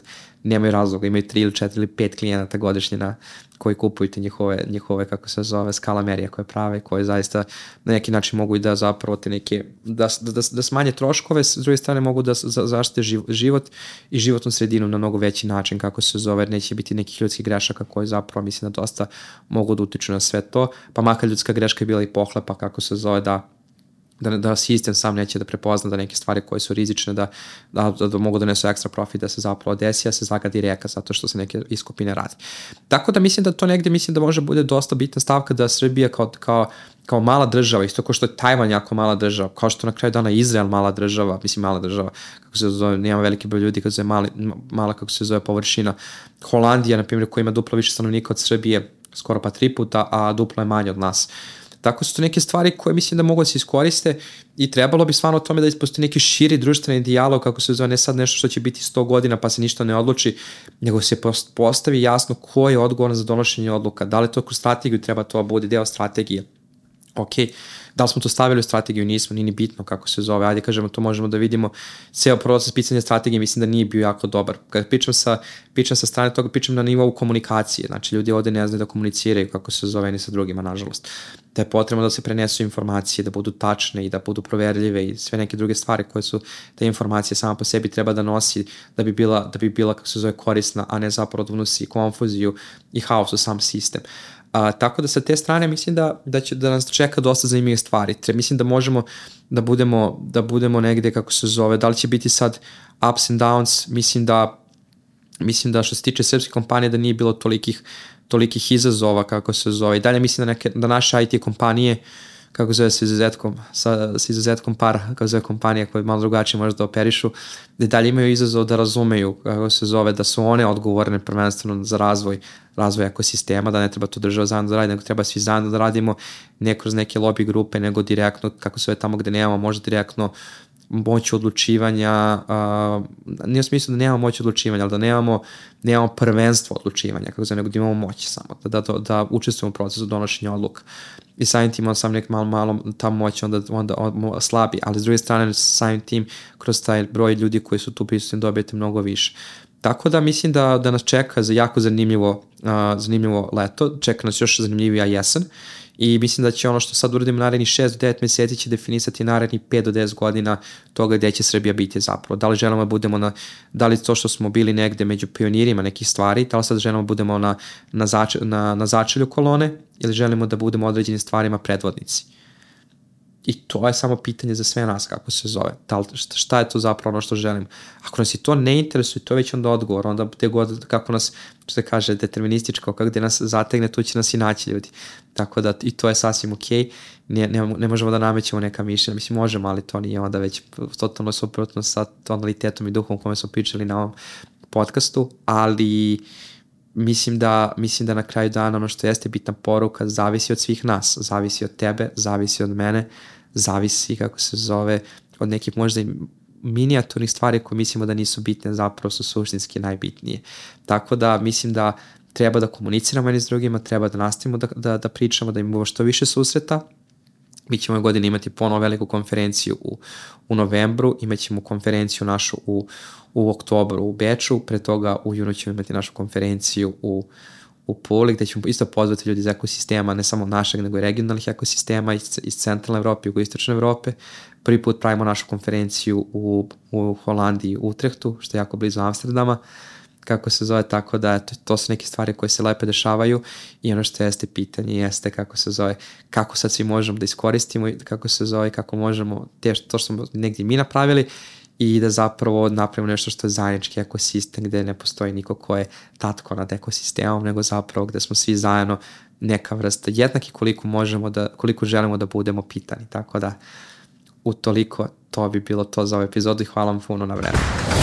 nemaju razloga. Imaju 3 ili 4 ili 5 klijenata godišnje koji kupuju te njihove, kako se zove, skala merija koje prave, koje zaista na neki način mogu i da zapravo te neke, da smanje troškove, s druge strane mogu da zaštite život i životnu sredinu na mnogo veći način, kako se zove, jer neće biti nekih ljudskih grešaka koji zapravo mislim da dosta mogu da utiču na sve to, pa makar ljudska greška je bila i pohlepa, kako se zove, da sistem sam neće da prepozna da neke stvari koje su rizične, da mogu da nesu ekstra profit, da se zapravo desi, a se zagadi reka zato što se neke iskopine radi. Tako da mislim da to negde, mislim da može bude dosta bitna stavka da Srbija kao mala država, isto kao što je Tajvan jako mala država, kao što na kraju dana Izrael mala država, kako se zove, nema veliki broj ljudi, kako se zove mala, kako se zove, površina. Holandija, na primjer, koja ima duplo više stanovnika od Srbije, skoro pa 3 puta, a duplo je manje od nas. Tako su to neke stvari koje mislim da mogu da se iskoriste i trebalo bi stvarno o tome da postoji neki širi društveni dijalog, kako se zove, ne sad nešto što će biti 100 godina pa se ništa ne odluči, nego se postavi jasno ko je odgovoran za donošenje odluka, da li to kroz strategiju treba to bude deo strategije. Ok, da li smo to stavili u strategiju, nismo, nije ni bitno kako se zove, ajde kažemo, to možemo da vidimo. Ceo proces pisanja strategije mislim da nije bio jako dobar. Kad pričam sa strane toga, pričam na nivou komunikacije, znači ljudi ovde ne znaju da komuniciraju kako se zove ni sa drugima, nažalost. Da je potrebno da se prenesu informacije, da budu tačne i da budu proverljive i sve neke druge stvari koje su te informacije sama po sebi treba da nosi da bi bila kako se zove, korisna, a ne zapravo da unosi konfuziju i haos u sam sistem. Tako da sa te strane mislim da nas čeka dosta zanimljivih stvari. Mislim da možemo da budemo negde, kako se zove, da li će biti sad ups and downs, mislim da što se tiče srpske kompanije da nije bilo tolikih izazova, kako se zove. I dalje mislim da naše IT kompanije, kako zove, sa izuzetkom par, kako zove, kompanija koje malo drugačije možda operišu, da dalje imaju izazov da razumeju, kako se zove, da su one odgovorne prvenstveno za razvoj ekosistema, da ne treba to država zajedno da radi, nego treba svi zajedno da radimo, ne kroz neke lobby grupe, nego direktno, kako se zove, tamo gde nemamo možda direktno moć odlučivanja, nije u smislu da nemamo moć odlučivanja, ali da nemamo prvenstvo odlučivanja, kako se nego da imamo moć samo, da učestvujemo u procesu donošenja odluka. I samim tim sam nek malo ta moć onda slabi, ali s druge strane samim tim kroz taj broj ljudi koji su tu prisutni dobijete mnogo više. Tako da mislim da nas čeka za jako zanimljivo leto, čeka nas još zanimljivija jesen i mislim da će ono što sad uradimo narednih 6 do 9 meseci će definisati narednih 5 do 10 godina toga gde će Srbija biti zapravo. Da li želimo da budemo da li to što smo bili negde među pionirima nekih stvari, da li sad želimo da budemo na začelju kolone ili želimo da budemo određenim stvarima predvodnici. I to je samo pitanje za sve nas, kako se zove. Šta je to zapravo ono što želim? Ako nas i to ne interesuje, to je već onda odgovor. Onda te god, kako nas, što se kaže, determinističko, kako gde nas zategne, tu će nas i naći ljudi. Tako da i to je sasvim okej. Ne možemo da namećemo neka mišljenja. Mislim, možemo, ali to nije onda već totalno suprotno sa tonalitetom i duhom kome smo pričali na ovom podcastu, ali mislim da na kraju dana ono što jeste bitna poruka zavisi od svih nas, zavisi od tebe, zavisi od mene, zavisi, kako se zove, od nekih možda i minijaturnih stvari koje mislimo da nisu bitne, zapravo su suštinski najbitnije. Tako da mislim da treba da komuniciramo jedni s drugima, treba da nastavimo da pričamo, da imamo što više susreta. Mi ćemo ove godine imati ponovo veliku konferenciju u novembru, imat ćemo konferenciju našu u oktobru u Beču, pre toga u junu ćemo imati našu konferenciju u Puli, gde ćemo isto pozvati ljudi iz ekosistema, ne samo našeg, nego i regionalnih ekosistema iz centralne Evrope i jugoistočne Evrope. Prvi put pravimo našu konferenciju u Holandiji, u Utrehtu, što je jako blizu Amsterdama, kako se zove, tako da to su neke stvari koje se lepo dešavaju i ono što jeste pitanje jeste, kako se zove, kako sad svi možemo da iskoristimo i kako se zove, kako možemo to što smo negdje mi napravili i da zapravo napravimo nešto što je zajednički ekosistem gde ne postoji niko ko je tatko nad ekosistemom, nego zapravo gde smo svi zajedno neka vrsta jednaki koliko želimo da budemo pitani. Tako da utoliko to bi bilo to za ovu epizodu i hvala vam puno na vremenu.